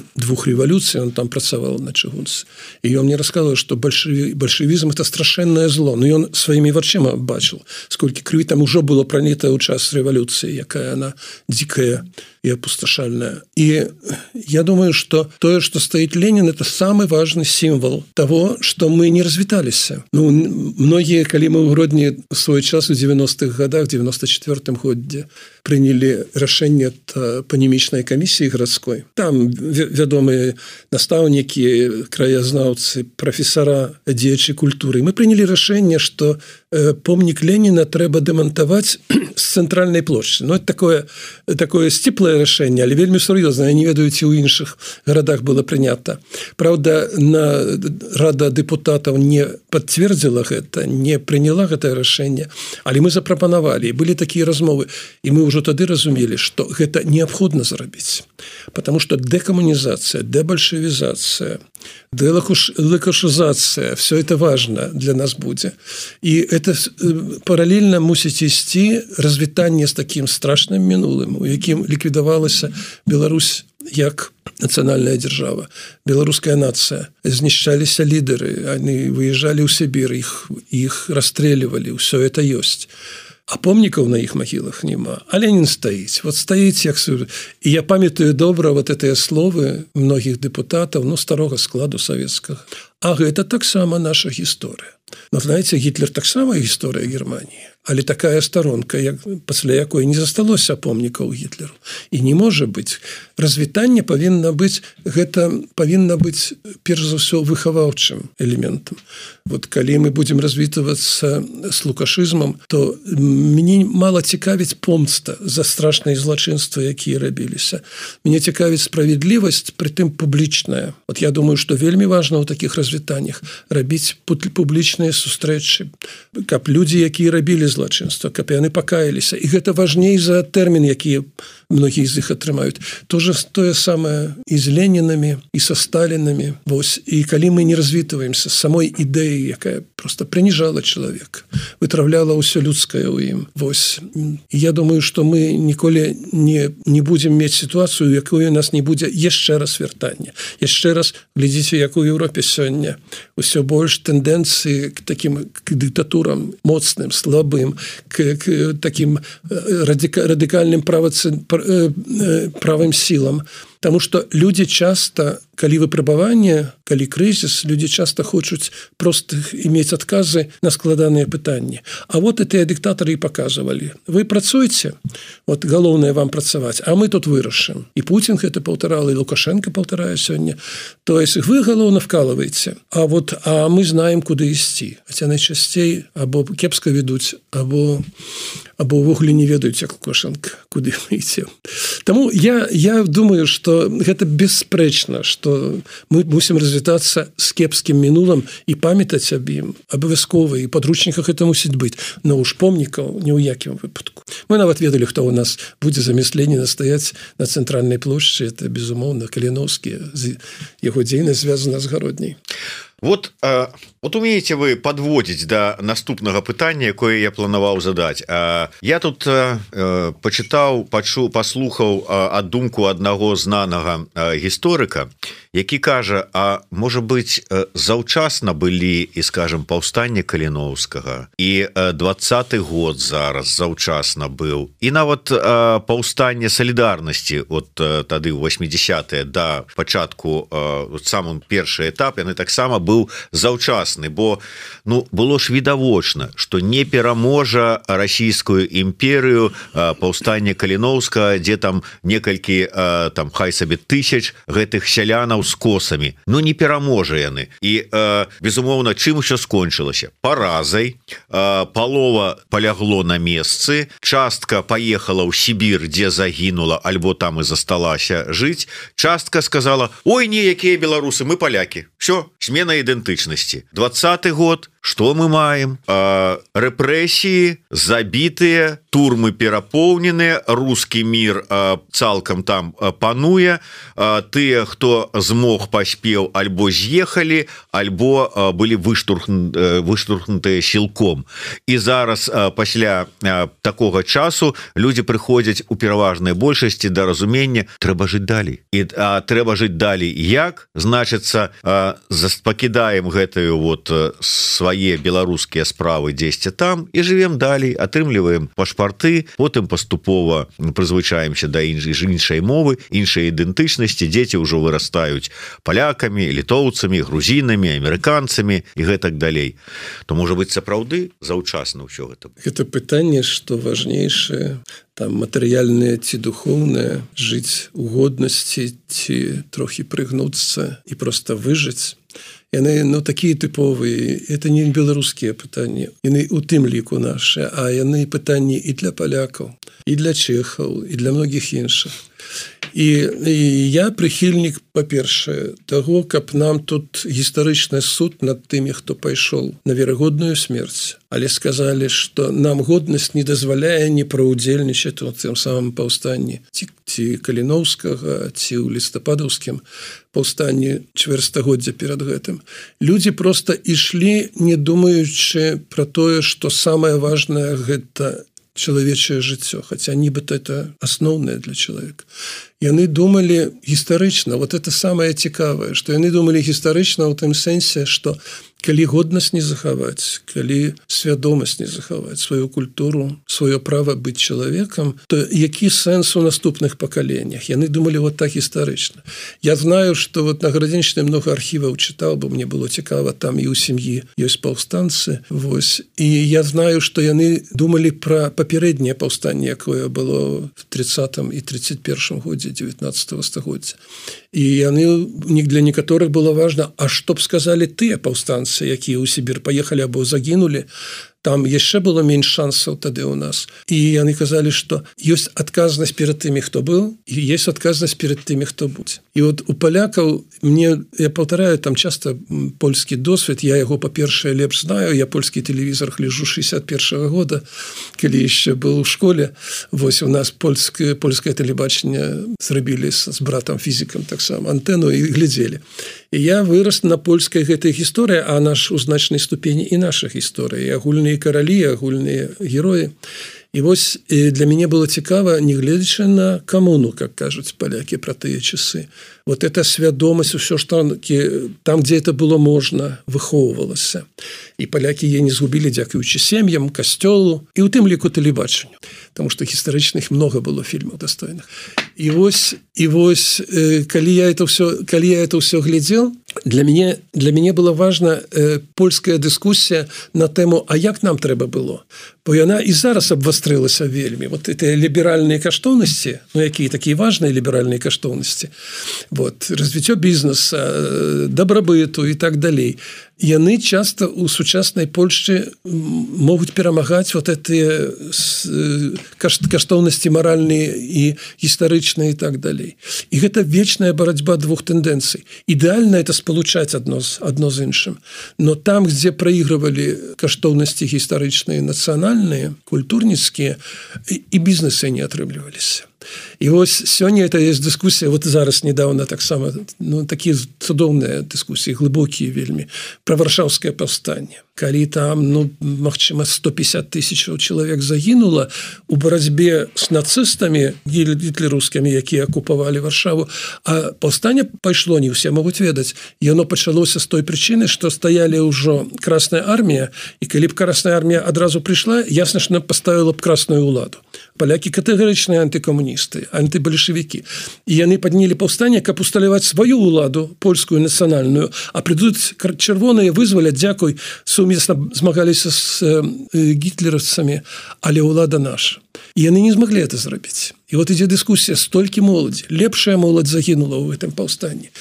рэвалюцый, он там працаваў на чыгунцы. І ён мне расказваў, што бальшавізм это страшэннае зло. Ну ён сваімі вачыма бачыў, сколькі крыві там ужо было проліта ў час рэвалюцыі, якая она дзікая и опустошальная. И я думаю, что то, что стоит Ленин, это самый важный символ того, что мы не развитались. Ну, многие, когда мы в Гродні в свой час в 90-х годах, в 94-м году приняли решение панемічной комиссии городской. Там вядомые наставники, краязнаўцы, профессора, дзеячи культуры. Мы приняли решение, что помник Ленина треба демонтовать с центральной площади. Ну, это такое степлое решение, але вельмі сур'ёзна. Я не ведаю, ці ў іншых городах было принято. Правда, Рада депутатов не подтвердила это, не приняла это решение, але мы запропановали. И были такие размовы. И мы уже тады разумели, что это необходимо зрабіць. Потому что декоммунизация, дебольшевизация, делокушизация, все это важно для нас будет. И это параллельно мусіць ісці развітанне з таким страшным мінулым, у якім ліквідавалася Беларусь як нацыянальная держава, беларуская нация. Знішчаліся лідеры, они выезжали ў Сибирь, их расстреливали, все это есть. А помнікаў на іх магілах няма. А Ленин стаіць. Вот стаіць, як... І я памятаю добра вот гэтыя словы многіх депутатаў, ну, старога складу савецкага. А гэта таксама наша гісторыя. Но, знаете, Гитлер таксама гісторыя Германии. Але такая сторонка, пасля якой не засталося помнікаў Гітлеру. І не можа быць. Развітанне павінна быць, гэта павінна быць, перш за ўсё, выхаваўчым элементам. Вот калі мы будем развітвацца с лукашызмам, то мне мало цікавіць помста за страшныя злачынствы, якія рабіліся. Мне цікавіць справядлівасць, притым публічная. Вот я думаю, что вельмі важна ў такіх развітаннях рабіць публічныя сустрэчы, каб людзі, якія рабілі злачынства, каб яны пакаяліся. І гэта важней за тэрмін, які многие из них атрымаюць. Тое самае і з Ленінамі, і са Сталінамі. Вось. І калі мы не развітваемся самой ідэі, якая просто прыніжала чалавека, вытравляла ўсё людскае ў ім. Вось. І я думаю, што мы ніколі не будзем мець сітуацыю, якую у нас не будзе яшчэ раз вяртання. Яшчэ раз глядзіце, як у Еўропе сёння усё больш тэндэнцыі к таким к дыктатурам моцным, слабым, к таким радикальным правым силам. Потому что люди часто, калі выпрабаванне, калі крызіс, люди часто хочуць просто иметь отказы на складаныя пытанні. А вот это диктаторы и показывали. Вы працуеце, вот галоўнае вам працаваць, а мы тут вырашым. И Путин это паўтарал, и Лукашенко паўтарае сёння. То есть вы галоўна вкалываете, а мы знаем, куды ісці. Хотя найчасцей або кепска ведуць, або ўвогуле не ведаюць, як Лукашенко, куды мы ідзем. Таму я думаю, что гэта бесспрэчна, што мы мусім развітацца з кепскім мінулым і памятаць аб ім абавязкова, і падручніках это мусіць быць. Но уж помнікаў ні ў якім выпадку. Мы нават ведалі, хто у нас будзе замест Леніна стаяць на цэнтральнай плошчы. Это, безумоўна, Каліноўскі. Яго дзейнасць звязана з Гародняй. Вот умеете вы подводить до наступного пытання, якое я планаваў задаць. Я тут почитаў, паслухаў думку аднаго знанага гісторыка, які кажа, а можа быть, заўчасна былі, і скажем, паўстанне Каліноўскага, і 20-й год зараз заўчасна быў, і нават паўстанне Салідарнасці, от тады ў 80-е да пачатку, самым першы этап, яны таксама быў заўчасны, бо было ж відавочна, што не пераможа расійскую імперыю паўстанне Каліноўскага, дзе там некалькі, хай сабе тысяч гэтых сялянаў з косамі. Не пераможа яны. І, безумоўна, чым усё скончылася? Паразай, палова палягло на месцы, частка паехала ў Сібір, дзе загінула, альбо там і засталася жыць, частка сказала: ой, не, якія беларусы, мы палякі. Все, смена ідэнтычнасці. 20-й год, что мы маем? Рэпрэсіі, забітыя, турмы перапоўненыя, рускі мір цалкам там пануе, тыя, хто змог, паспеў, альбо з'ехалі, альбо былі выштурхнутыя сілком. І зараз пасля такога часу людзі прыходзяць у пераважнай большасці да разумення, трэба жыць далей. І трэба жыць далей як? Значыцца, пакідаем гэтую вот свае беларускія справы дзесьці там і жывем далей, атрымліваем пашпарты, потым паступова прызвычаемся да іншай мовы, іншай ідэнтычнасці, дзеці ўжо вырастаюць палякамі, літоўцамі, грузінамі, амерыканцамі і гэтак далей. То, можа быць, сапраўды заўчасна ўсё гэта. Гэта пытанне, што важнейшае, там матэрыяльнае ці духоўнае, жыць у годнасці ці трохі прыгнуцца і проста выжыць. Яны, такія тыповыя, это не беларускія пытанні, яны у тым ліку нашы, а яны пытанні і для палякаў, і для чэхаў, і для многіх іншых. І я прыхільнік, па-першае, таго, каб нам тут гістарычны суд над тымі, хто пайшоў на верагодную смерць, але сказалі, што нам годнасць не дазваляе не праўдзельнічаць у тым самым паўстанні ці Каліноўскага, ці ў лістападаўскім паўстанні чвэрцьстагоддзя перад гэтым. Людзі проста ішлі, не думаючы пра тое, што самае важнае гэта чалавечае жыццё, хаця нібыта это асноўнае для чалавека. Яны думалі гістарычна, вот это самае цікавае, што яны думалі гістарычна ў тым сэнсе, што калі годнасць не захаваць, калі свядомасць не захаваць, сваю культуру, сваё права быць чалавекам, то які сэнс у наступных пакаленнях? Яны думалі вот так гістарычна. Я знаю, што вот на Градзеншчыне много архіваў чытаў, бо мне было цікава, там і ў сям'і ёсць паўстанцы. Вось. І я знаю, што яны думалі пра папярэдняе паўстанне, якое было в 30-м і 31-м годзе 19-го стагоддзя. І яны, для некаторых было важна, а што б сказалі тыя паўстанцы, якія ў Сібір паехалі або загінулі, там яшчэ было менш шансаў тады ў нас. І яны казалі, што ёсць адказнасць перад тымі, хто быў, і ёсць адказнасць перад тымі, хто будзе. І от у палякаў, я паўтараю, там часта польскі досвед, я яго, па-першае, лепш знаю, я польскі тэлевізор гляджу 61-го года, калі яшчэ быў у школе. Вось у нас польскае тэлебачанне зрабілі з братам фізікам таксама антэну і глядзелі. І я вырас на польскай гэтай гісторыі, а наш у значнай ступені і наша гісторыя, і агульныя каралі, агульныя героі. І вось для мяне было цікава, не гледзячы на камуну, как кажуць палякі пра тыя часы. Вот эта свядомасць, усё, што там, дзе это было можна, выхоўвалася. І палякі яе не згубілі, дзякуючы сем'ям, касцёлу і ў тым ліку тэлебачанню. Таму што гістарычных много было фільмаў дастойных. І вось, калі я это ўсё глядзел, для мяне была важна польская дыскусія на тэму, а як нам трэба было? Бо яна і зараз абвастрылася вельмі. Вот это ліберальныя каштоўнасці, якія такія важныя ліберальныя каштоўнасці, вот, развіццё бізнеса, дабрабыту і так далей. Яны часта ў сучаснай Польшчы могуць перамагаць вот гэтыя каштоўнасці маральныя і гістарычныя і так далей. І гэта вечная барацьба двух тэндэнцый. Ідэальна это спалучаць адно з іншым. Но там, дзе праігрывалі каштоўнасці гістарычныя, нацыянальныя, культурніцкія, і бізнесы не атрымліваліся. І вось сёння это есть дыскусія, вот зараз недавно таксама, такія цудоўныя дыскусіі, глыбокія вельмі, пра варшаўскае паўстанне. Калі там, магчыма, 150 000 чалавек загінула у барацьбе з нацыстамі, гітлераўскімі, якія акупавалі Варшаву, а паўстанне пайшло, не ўсе могуць ведаць. Яно пачалося з той прычыны, што стаялі ўжо Красная армія, і калі б Красная армія адразу прыйшла, ясна, што паставіла б красную ўладу. Палякі катэгарычныя антыкамуністы, антыбальшавікі. І яны паднялі паўстанне, каб усталяваць сваю ўладу, польскую нацыянальную, а прыйдуць чырвоныя, вызваляць, дзякуй, сумесна змагаліся з гітлераўцамі, але ўлада наша. І яны не змаглі это зрабіць. І вот ідзе дыскусія, столькі моладзі. Лепшая моладзь загінула ў гэтым паўстанні.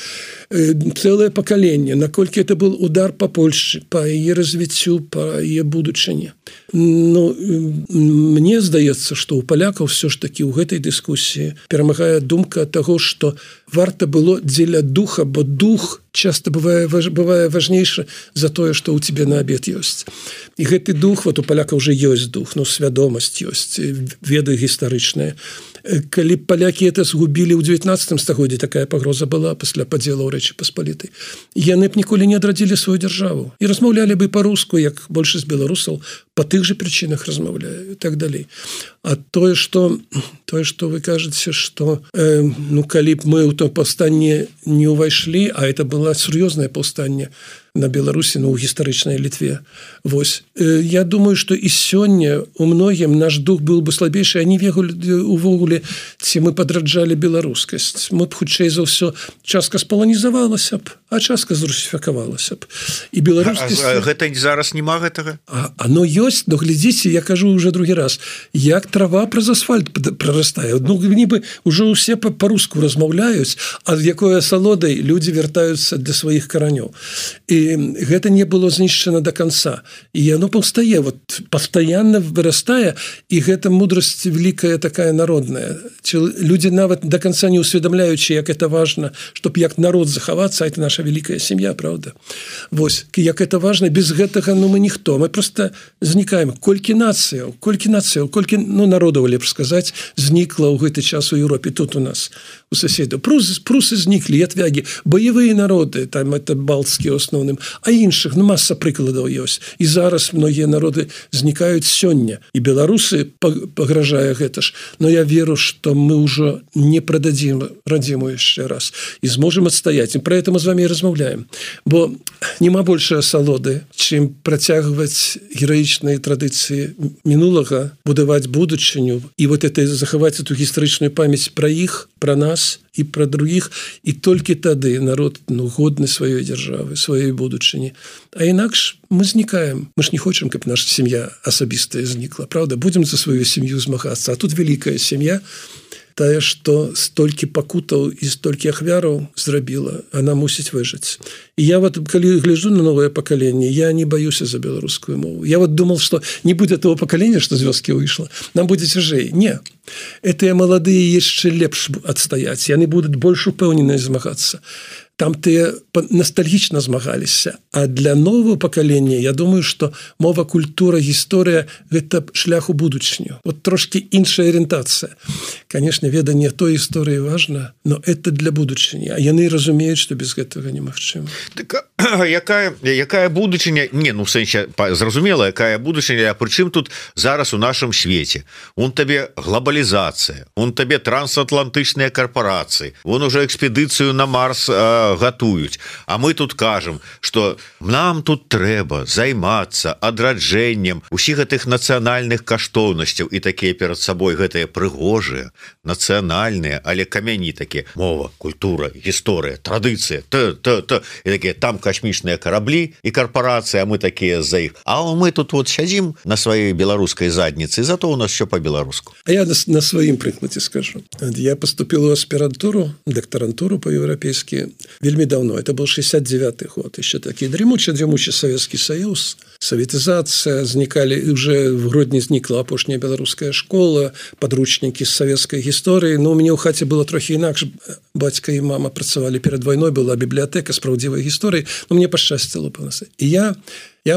Цэлае пакаленне, наколькі это был удар па Польшчы, па яе развіццю, па яе будучыні. Мне здаецца, што ў палякаў все ж такі ў гэтай дыскусіі перамагае думка таго, што варта было дзеля духа, бо дух часто бывае важнейшы за тое, што ў тебе на абед ёсць. І гэты дух, вот у паляка ўжо ёсць дух, ну, свядомасць ёсць, веды гістарычныя. Калі палякі это згубілі ў 19 стагоддзі, такая пагроза была пасля падзелаў Рэчы Паспалітай, яны б ніколі не адрадзілі сваю дзяржаву і размаўлялі бы па-руску, як большасць беларусаў па тых же прычынах размаўляю і так далей. А тое, што вы кажаце, што ну, калі б мы ў то паўстанне не ўвайшлі, а это было сур'ёзнае паўстанне на Беларусі, ну, у гістарычнай Літве. Вось. Я думаю, што і сёння у многім наш дух быў бы слабейшы, а не увогуле, ці мы падраджалі беларускасць. Мы б, хутчэй за ўсё, частка спаланізавалася б, а частка зрусіфікавалася б. І беларускасць... Гэта зараз няма гэтага? Оно ёсць, но глядзіце, я кажу уже другі раз, як трава праз асфальт прарастае. Ну, нібы ўжо ўсе па-руску размаўляюць, а з якой асалодай людзі вяртаюцца для сваіх каранёў. І гэта не было знішчана до конца. І яно паўстае, вот, пастаянна вырастае, і гэта мудрасць великая такая народная. Людзі нават до конца не усведамляючы, як это важно, чтоб як народ захавацца, а это наша великая сям'я, правда? Вось, як это важно, без гэтага, ну, мы ніхто. Мы просто знікаем. Колькі нацыяў, ну, народаў, лепш сказаць, знікла ў гэты час у Еўропе, тут у нас, у соседаў. Прусы зніклі, ятвягі, баявыя народы, там это балтскія основным, а іншых, ну, маса прыкладаў ёсць. І зараз многія народы знікаюць сёння. І беларусы пагражае гэта ж. Но я веру, што мы ўжо не прададзім радзіму яшчэ раз і зможам адстаяць. І пра это мы з вами размаўляем. Бо нема большай асалоды, чым працягваць гераічныя традыцыі мінулага, будаваць будучыню і вот это захаваць эту гістарычную памяць пра іх, пра нас і пра другіх, і толькі тады народ, ну, годны сваёй дзяржавы, сваёй будучыні. А інакш мы знікаем. Мы ж не хочам, каб наша сям'я асабістая знікла, правда? Будзем за сваю сям'ю змагацца. А тут великая сям'я, тая, што столькі пакутаў і столькі ахвяраў зрабіла, она мусіць выжыць. І я вот, калі гляджу на новое пакаленне, я не баюся за беларускую мову. Я вот думал, что не будет того поколения, что з вёскі выйшло, нам будзе цяжэй. Не. Этыя маладыя яшчэ лепш адстаяць. Яны будуць больш упэўнена змагацца. Там тыя ностальгічна змагаліся. А для нового пакалення, я думаю, што мова, культура, гісторыя – гэта шлях у будучыню. Вот трошки іншая арыентацыя. Конечно, веданне той гісторыі важна, но это для будучыні. А яны разумеюць, што без гэтага немагчыма. Так, якая будучыня? Не, ну, в сэнсе, зразумела, якая будучыня, а прычым тут зараз у нашым свеце? Он табе глобалізацыя, он табе трансатлантычныя карпорацыі, он уже экспедыцыю на Марс гатуюць. А мы тут кажам, што нам тут трэба займацца адраджэннем усіх гэтых нацыянальных каштоўнасцяў і такія перад сабой гэтыя прыгожыя, нацыянальныя, але камяні такія: мова, культура, гісторыя, традыцыя, і такія там касмічныя караблі і карпорацыі, а мы такія з-за іх. А мы тут вот сядзім на сваёй беларускай задніцы, зато у нас все по-беларуску. А я на сваім прыкладзе скажу. Я поступил у аспирантуру, докторантуру по-европейски вельмі давно. Это был 69-й год. Еще такие дремучий Советский Союз, советизация, зникали, уже в Гродні зникла апошняя беларуская школа, подручники з советской гісторыі. Но у меня у хаце было трохи інакш. Бацька и мама працавалі перед войной, была библиотека с правдивой гісторыяй, но мне пашчасціла па нас. И я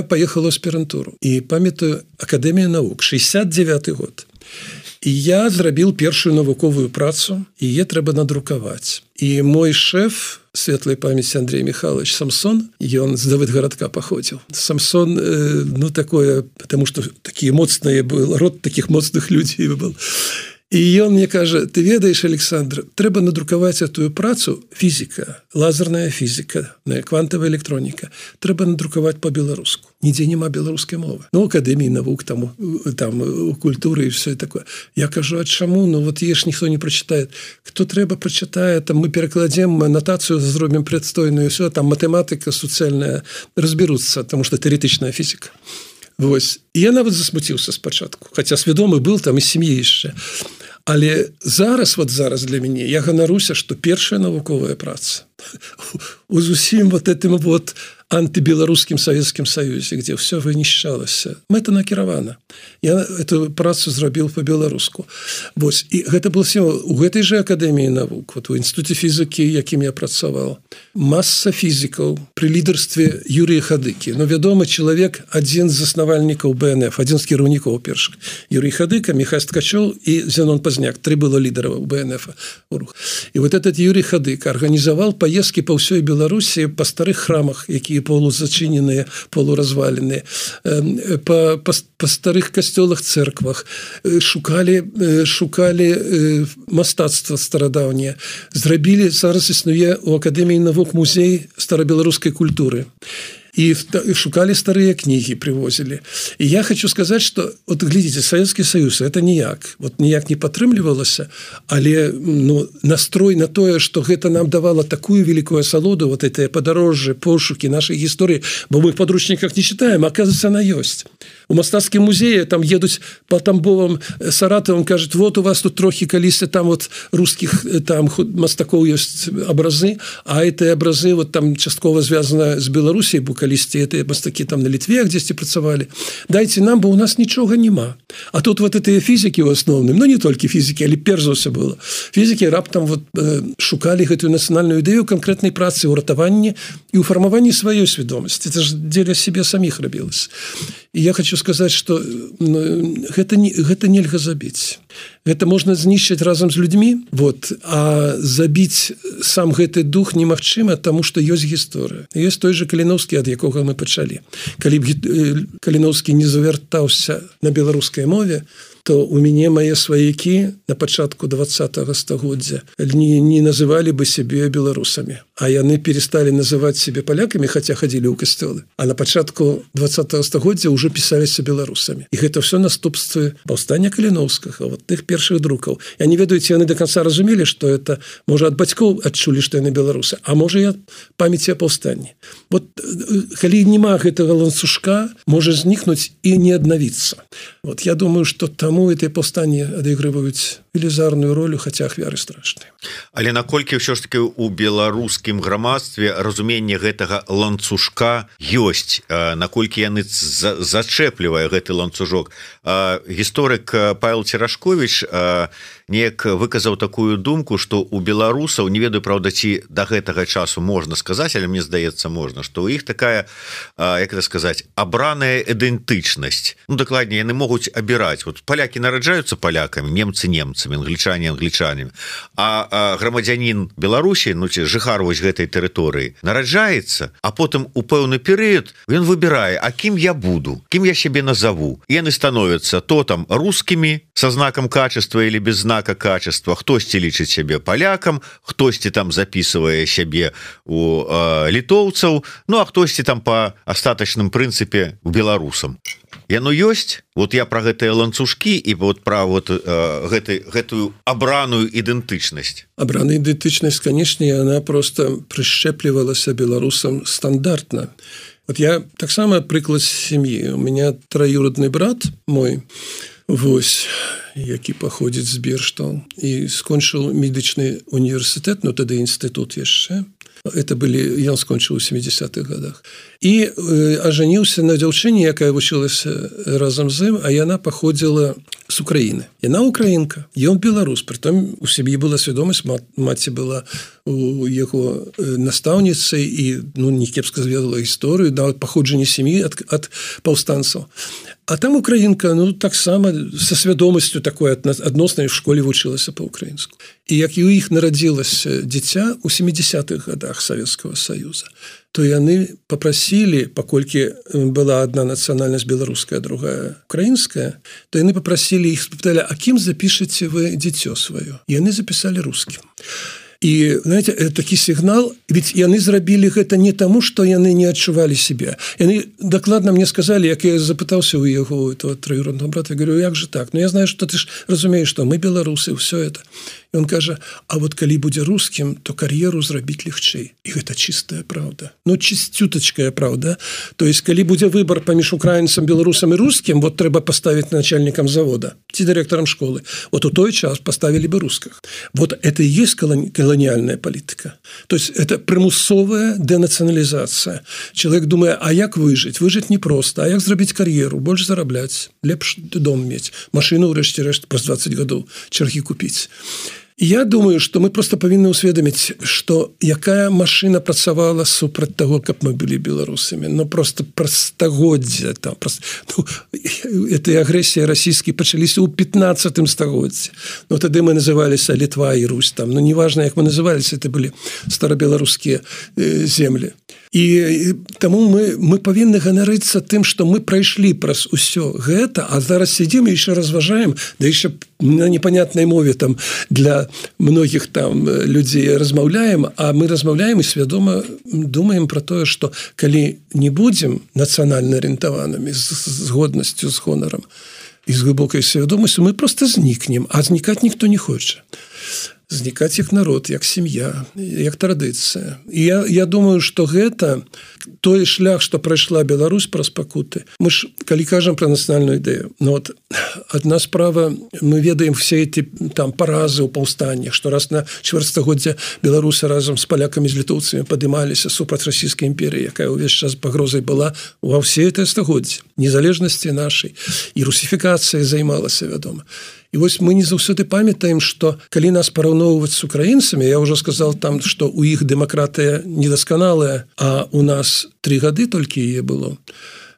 поехал в аспирантуру. И памятаю, Академия наук, 69-й год. І я зрабіў першую навуковую працу, і яе трэба надрукаваць. І мой шэф, светлай памяці Андрей Михайлович Самсон, ён з Давыдгарадка паходзіў. Самсон, ну, такое, потому что такие моцныя был, род таких моцных людзей был. І ён мне кажа: ты ведаеш, Александр, трэба надрукаваць эту працу, фізіка, лазерная фізіка, квантавая электроніка, трэба надрукаваць по-беларуску. Нідзе няма беларускай мовы. Ну, акадэміі навук, там у культуры і все такое. Я кажу: а чаму? Ну, вот еш ніхто не прочитает. Кто трэба прочитае, там мы перакладзем, анатацыю зробім предстойную, все, там математыка суцэльная разберуцца, потому что теоретычная фізіка. Вось. І я нават засмуціўся спачатку, хаця свядомы был там і сям'і яшчэ. Але зараз для мяне я ганаруся, што першая навуковая праца у зусім вот этим вот антыбеларускім Савецкім Саюзе, где все вынішчалася. Мэта накіравана. Я эту працу зрабіў по-беларуску. Вось. І гэта был сімвол. У гэтай же акадэміі навук, вот у інстытуце фізікі, якім я працаваў, масса фізікаў при лідарстве Юрія Хадыкі. Но вядомы чалавек, адзін з заснавальнікаў БНФ, адзін з кіраўнікоў першых. Юрий Хадыка, Михаил Ткачёў и Зенон Пазняк. 3 было лидеров БНФ. И вот этот Юрий Хадыка организовал поездки по всей Беларуси по старых храмах, якія полузачиненные, полуразваленные, по старых костелах, церквах, шукали мастацтва стародавнее. Зрабілі, зараз існуе у Академии наук музей старобелорусской культуры. И шукали старые книги, привозили. И я хочу сказать, что, вот глядите, Советский Союз, это ніяк. Вот ніяк не падтрымлівалася, але настрой на тое, что гэта нам давало такую великую асалоду, вот это подорожжи, пошуки нашей истории, бо мы в подручниках не читаем, оказывается, она есть. У мастацкім музее там едут по Тамбовам, Саратовым, кажут, вот у вас тут трохи каліся, там вот русских там мастаков есть образы, а эти образы вот там частково связаны с Белоруссией, калісьці гэтыя мастакі там на Літве дзесьці працавалі. Дайце нам, бо у нас нічога няма. А тут вот гэтыя фізікі ў асноўным, не толькі фізікі, але перш за ўсё было. Фізікі раптам вот шукалі гэтую нацыянальную ідэю канкрэтнай працы ў ратаванні і ў фармаванні сваёй свядомасці. Это ж дзеля сябе саміх рабілася. І я хочу сказаць, што гэта нельга забіць. Гэта можна знішчыць разам з людзьмі, вот, а забіць сам гэты дух немагчыма, таму што ёсць гісторыя. Ёсць той же Каліноўскі, ад якога мы пачалі. Калі б Каліноўскі не завяртаўся на беларускай мове, то у мяне мае сваякі на пачатку 20-го стагоддзя не называлі бы сябе беларусамі, а яны пересталі называць сябе палякамі, хаця хадзілі ў касцёлы. А на пачатку 20-го стагоддзя ўжо пісаліся беларусамі. І гэта ўсё наступствы паўстання Каліноўскага, вот тых першых друкаў. Я не ведаю, ці яны до конца разумелі, што это, можа, ад бацькоў адчулі, што яны беларусы, а можа, і ад памяці о паўстанні. Вот калі няма гэтага ланцужка, можа знікнуць і не аднавіцца. Вот я думаю, што таму эти паўстанні адыгрываюць велізарную ролю, хаця ахвяры страшныя. Але наколькі ўсё ж таки у беларускім грамадстве разуменне гэтага ланцужка ёсць, наколькі яны зачэплівае гэты ланцужок. Гісторык Павел Церашковіч неяк выказаў такую думку, што у беларусаў, не ведаю, правда, ці да гэтага часу можна сказаць, але мне здаецца можна, што ў іх такая, як это сказаць, абраная ідэнтычнасць. Дакладней, яны могуць абіраць. Вот палякі нараджаюцца палякамі, немцы немцамі, англічане англічанамі, а грамадзянін Беларусі, ці жыхар вось гэтай тэрыторыі, нараджаецца, а потым у пэўны перыяд ён выбірае, а кім я буду, кім я сябе назову. І яны становяцца то там рускімі са знакам качества или без знака качества, хтосьці лічыць сябе палякам, хтосьці там записывае сябе у літоўцаў, а хтосьці там по астатачным прынцыпе у беларусам. Яно ёсць, вот я про гэтыя ланцужкі і вот про вот гэтую абраную ідэнтычнасць. Абраная ідэнтычнасць, канешне, она просто прышчэплівалася беларусам стандартна. Вот я таксама прыклад сям'і. У меня троюродны брат мой, вось, які паходзіць з Берштаў і скончыў медычны універсітэт, тады інстытут яшчэ. Это были, ён скончыў у 70-х годах. І ажаніўся на дзяўчыне, якая вучылася разам з ім, а яна паходзіла з Украіны. Яна украінка, ён беларус. Притом у сям'і была свядомасць, маці была у яго настаўніцай і не кепска зведала гісторыю, дала паходжанне сям'і ад паўстанцаў. А там украінка, таксама са свядомасцю такой адноснай в школе вучылася па-украінску. І як і ў іх нарадзілася дзіця у 70-х годах Советского Союза, то яны попросили, паколькі была одна нацыянальнасць беларуская, другая украінская, то яны попросили іх, спыталі, а кім запішаце вы дзіцё сваё? І яны запісалі рускім. І, знаете, такі сігнал, ведь яны зрабілі гэта не таму, што яны не адчувалі себя. Яны дакладна мне сказалі, як я запытаўся у яго этого троюродного брата, я говорю, як же так? Я знаю, что ты ж разумеешь, что мы беларусы, все это. Ён кажа, а вот калі будзе рускім, то кар'еру зрабіць легчэй. І гэта чистая правда. Ну, чистютачкая правда. То есть, калі будзе выбор паміж украінцам, беларусам і рускім, вот трэба поставіць начальникам завода ці дырэктарам школы. Вот у той час поставили бы рускіх. Вот это и есть колониальная политика. То есть, это примусовая денационализация. Человек думае, а як выжить? Выжить непросто. А як зрабіць кар'еру? Больш зарабляць, лепш дом мець, машину, урэшце рэшт, праз 20 гадоў чаргі купіць. Я думаю, что мы просто павінны ўсведаміць, что якая машина працавала супраць таго, каб мы былі беларусамі. Ну, просто праз стагоддзя. Этой агрэсія расійскай пачаліся ў 15 стагоддзі. Ну, тады мы называліся Літва і Русь. Там. Ну, неважно, як мы называліся, это былі старабеларускія землі. І таму мы павінны ганарыцца тым, што мы прайшлі праз усё гэта, а зараз сидзім і яшчэ разважаем, да яшчэ на непонятнай мове там для многіх там людзей размаўляем, а мы размаўляем і свядома думаем про тое, што калі не будзем нацыянальна арыентаванымі з годнасцю, з гонарам і з глыбокай свядомасцю, мы просто знікнем, а знікаць ніхто не хоча. Знікаць як народ, як сям'я, як традыцыя. І я думаю, што гэта той шлях, што прайшла Беларусь праз пакуты. Мы ж, калі кажам пра нацыянальную ідэю, ну вот адна справа, мы ведаем все эти там паразы ў паўстаннях, што раз на чвэрцьстагоддзя беларусы разам з палякамі, з літоўцамі падымаліся супраць расійскай імперыі, якая ўвесь час пагрозай была ва ўсе гэтыя стагоддзі, незалежнасці нашай, і русіфікацыя займалася, вядома. І вось мы не заўсёды памятаем, што калі нас параўноўваць з украінцамі, я ўжо сказал там, што у іх дэмакратыя недасканалая, а у нас 3 гады толькі яе было.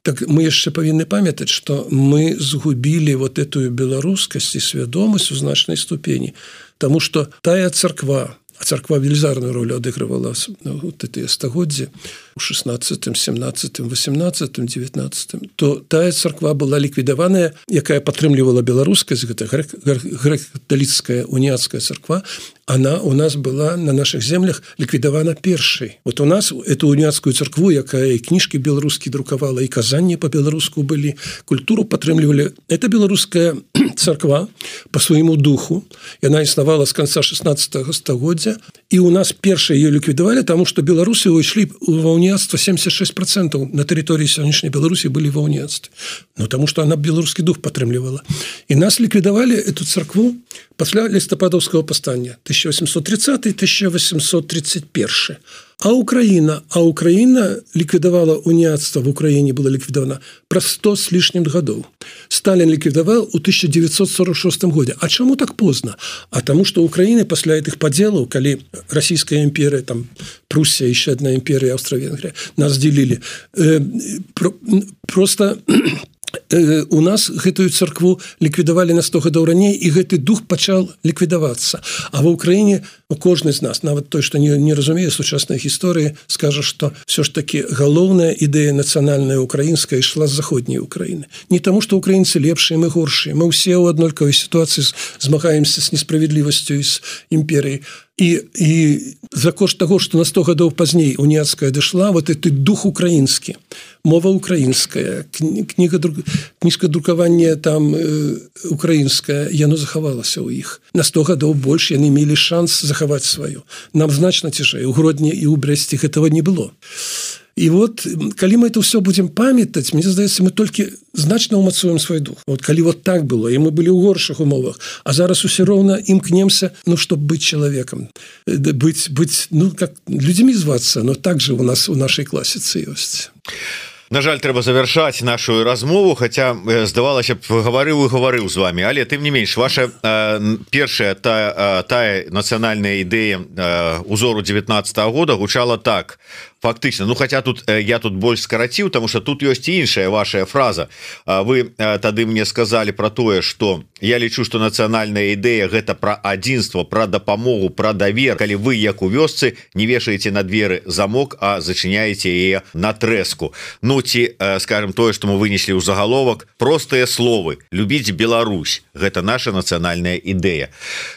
Так мы яшчэ павінны памятаць, што мы згубілі вот эту беларускасць і свядомасць у значнай ступені. Таму што тая царква, а царква велізарную ролю адыгрывала вот гэтыя стагоддзі у 16, 17, 18, 19, то тая царква была ліквідаваная, якая падтрымлівала беларускасць, гэта грэка-каталіцкая уніяцкая царква, она у нас была на наших землях ликвидована першей. Вот у нас эту уніяцкую церкву, якая и книжки белорусские друковала, и казанні по-белоруску были, культуру подтрымливали. Это белорусская церква по своему духу. И она иснавала с конца 16 стагоддзя. И у нас першие ее ликвидовали, потому что белорусы ушли в уніяцтво 76% на территории сегодняшней Беларуси были в уніяцтве. Ну, потому что она белорусский дух подтрымливала. И нас ликвидовали, эту церкву, после листопадовского повстания 1830-1831. А Украина ликвидовала уніяцтва, в Украине было ликвидовано про 100 с лишним годов. Сталин ликвидовал у 1946 году. А чему так поздно? А тому, что Украина после этих поделов, когда Российская империя, там Пруссия, еще одна империя, Австро-Венгрия, нас делили, просто... у нас гэтую церкву ліквідавалі на 100 гадоў раней, і гэты дух пачаў ліквідавацца. А ва Ўкраіне кожны з нас, нават той, што не разумее сучаснай гісторыі, скажа, што все ж таки галоўная ідэя нацыянальная украінская ішла з заходняй Украіны. Не таму, што украінцы лепшыя, мы горшыя. Мы ўсе ў аднолькавай сітуацыі змагаемся з несправядлівасцю і з імперіяй. І за кошт таго, што на 100 гадоў пазней уніяцкая дайшла, вот этот дух украінскі, мова украінская, кніжка друкавання там украінская, яно захавалася ў іх. На 100 гадоў больш яны мелі шанс захаваць сваю. Нам значна цяжэй. У Гродні і ў Брэсце гэтага не было. И вот, калі мы это все будем памятаць, мне здаецца, мы толькі значна ўмацуем свой дух. Вот калі вот так было, и мы были ў горшых умовах, а зараз усе роўна імкнемся, ну, чтобы быть человеком, быть, ну, как людьми зваться, но так же у нас у нашей класіцы ёсць. На жаль, трэба завяршаць нашу размову, хаця здавалася б, гаварыў з вами, але тым не менш, ваша першая тая нацыянальная ідэя узору 19-го года гучала так. Фактычна, ну хотя тут я тут больш скараціў, тому что тут ёсць іншая ваша фраза. Вы тады мне сказали про тое, что я лічу, что нацыянальная ідэя гэта про адзінства, про дапамогу, про давер, калі вы як у вёсцы не вешаеце на дзверы замок, а зачыняеце яе на трэску. Ну ці, скажем, тое, что мы вынеслі ў загаловак, простыя словы, любіць Беларусь, гэта наша нацыянальная ідэя.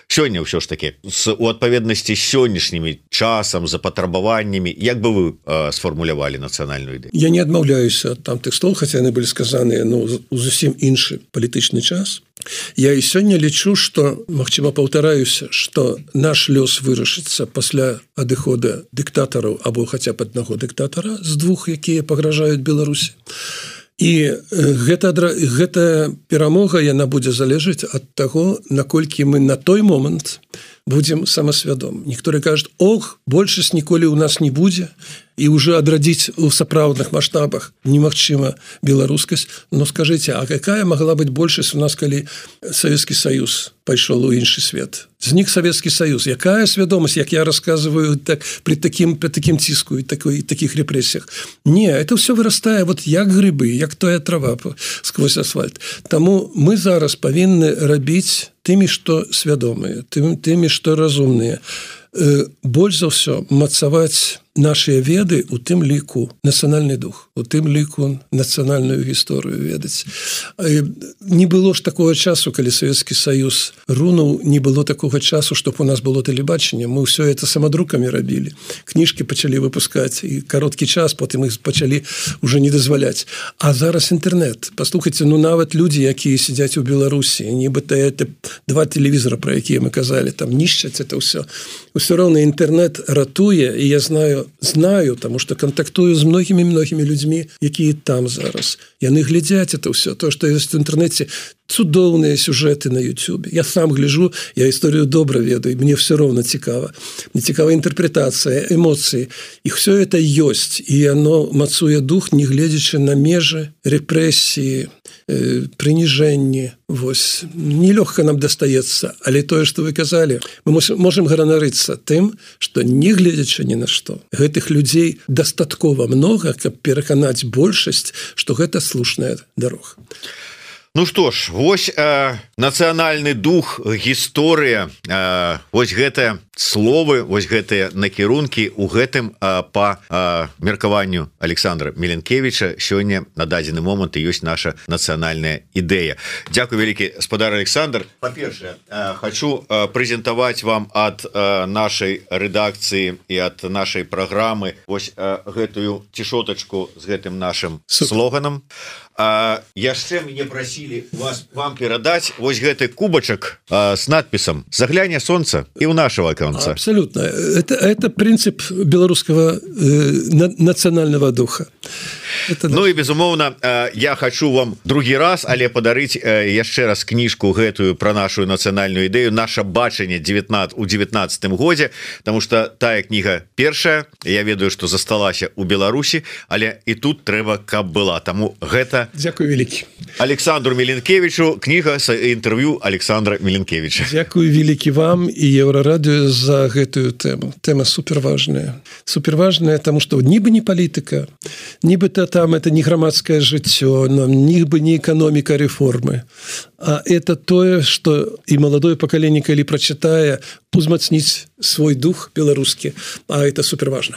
Сёння ўсё ж таки у адпаведнасці з сённяшнімі часам, запатрабаваннямі, як бы вы сфармулявалі нацыянальную ідэю? Я не адмаўляюся ад тамтых слоў, хаця яны былі сказаныя, ну, зусім іншы палітычны час. Я і сёння лічу, што, магчыма, паўтараюся, што наш лёс вырашыцца пасля адыхода дыктатараў або хаця б аднаго дыктатара з двух, якія пагражаюць Беларусі. І гэта перамога, яна будзе залежаць ад таго, наколькі мы на той момант будзем самасвядомы. Некаторыя кажуць: ох, большасць ніколі ў нас не будзе, і ўжо адрадзіць у сапраўдных маштабах немагчыма беларускасць. Но скажыце, а якая магла быць большасць у нас, калі Савецкі Саюз пайшоў у іншы свет? Знік Савецкі Саюз. Якая свядомасць, як я рассказываю, так, при такім ціску і таких рэпрэсіях? Не, это все вырастае вот як грыбы, як тая трава сквозь асфальт. Таму мы зараз павінны рабіць тымі, што свядомыя, тымі, што разумныя. Больш за ўсё мацаваць нашыя веды, у тым ліку нацыянальны дух, у тым ліку нацыянальную гісторыю ведаць. Не было ж такого часу, калі Савецкі Саюз рунуў, не было такога часу, чтоб у нас было тэлебачанне. Мы ўсё это самадрукамі рабілі. Кніжкі пачалі выпускаць, і кароткі час, потым іх пачалі уже не дазваляць. А зараз інтэрнет. Паслухайце, нават людзі, якія сядзяць у Беларусі, нібыта это 2 тэлевізора, пра якія мы казалі, там нішчаць это ўсё. Усё роўна інтэрнет ратуе, і я знаю, таму што кантактую з многімі людзьмі, якія там зараз. Яны глядзяць это ўсё. То, што ёсць у інтэрнэце, цудоўныя сюжэты на Ютубе. Я сам гляжу, я історыю добра ведаю, мне все роўна цікава. Мне цікава інтэрпрэтацыя, эмоцыі. І ўсё это ёсць, і оно мацуе дух, не гледзячы на межы, рэпрэсіі, прыніжэнні. Вось. Нелёгка нам дастаецца, але тое, што вы казалі, мы можам ганарыцца тым, што не гледзячы ні на што, гэтых людзей дастаткова многа, каб пераканаць большасць, што гэта слушная дарога. Ну што ж, вось нацыянальны дух, гісторыя, вось гэтыя словы, вось гэтыя накірункі у гэтым па меркаванню Александра Міленкевіча сёння на дадзены момант і ёсць наша нацыянальная ідэя. Дзякуй вялікі, спадар Александр. Па-першае, хочу прэзентаваць вам ад нашай рэдакцыі і ад нашай праграмы вось гэтую цішотачку з гэтым нашым слоганам. Яшчэ мяне прасілі вам перадаць вось гэты кубачак с надпісам «Загляне сонца» і ў нашего конца. Абсолютно. Это принцип белорусского национального духа. Ну і безумоўна, я хочу вам другі раз, але падарыць яшчэ раз кніжку гэтую пра нашу нацыянальную ідэю, наша бачанне у 19 годзе, потому что тая кніга першая, я ведаю, што засталася у Беларусі, але і тут трэба, каб была. Таму гэта Дзякуй вялікі Александру Міленкевічу, кніга з інтэрв'ю Александра Міленкевіча. Дзякуй вялікі вам і Еўрарадыё за гэтую тэму. Тэма суперважная. Суперважная, таму што нібы не палітыка, нібыта там это не грамадскае жыццё, нібы не эканоміка рэформы, а это тое, што і маладое пакаленне, калі прачытае, узмацніць свой дух беларускі, а это суперважна.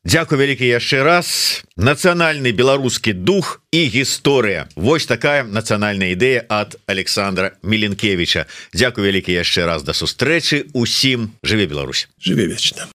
Дзякуй вялікі яшчэ раз. Нацыянальны беларускі дух і гісторыя. Вось такая нацыянальная ідэя ад Александра Міленкевіча. Дзякуй вялікі яшчэ раз, да сустрэчы усім. Жыве Беларусь. Жыве вечна.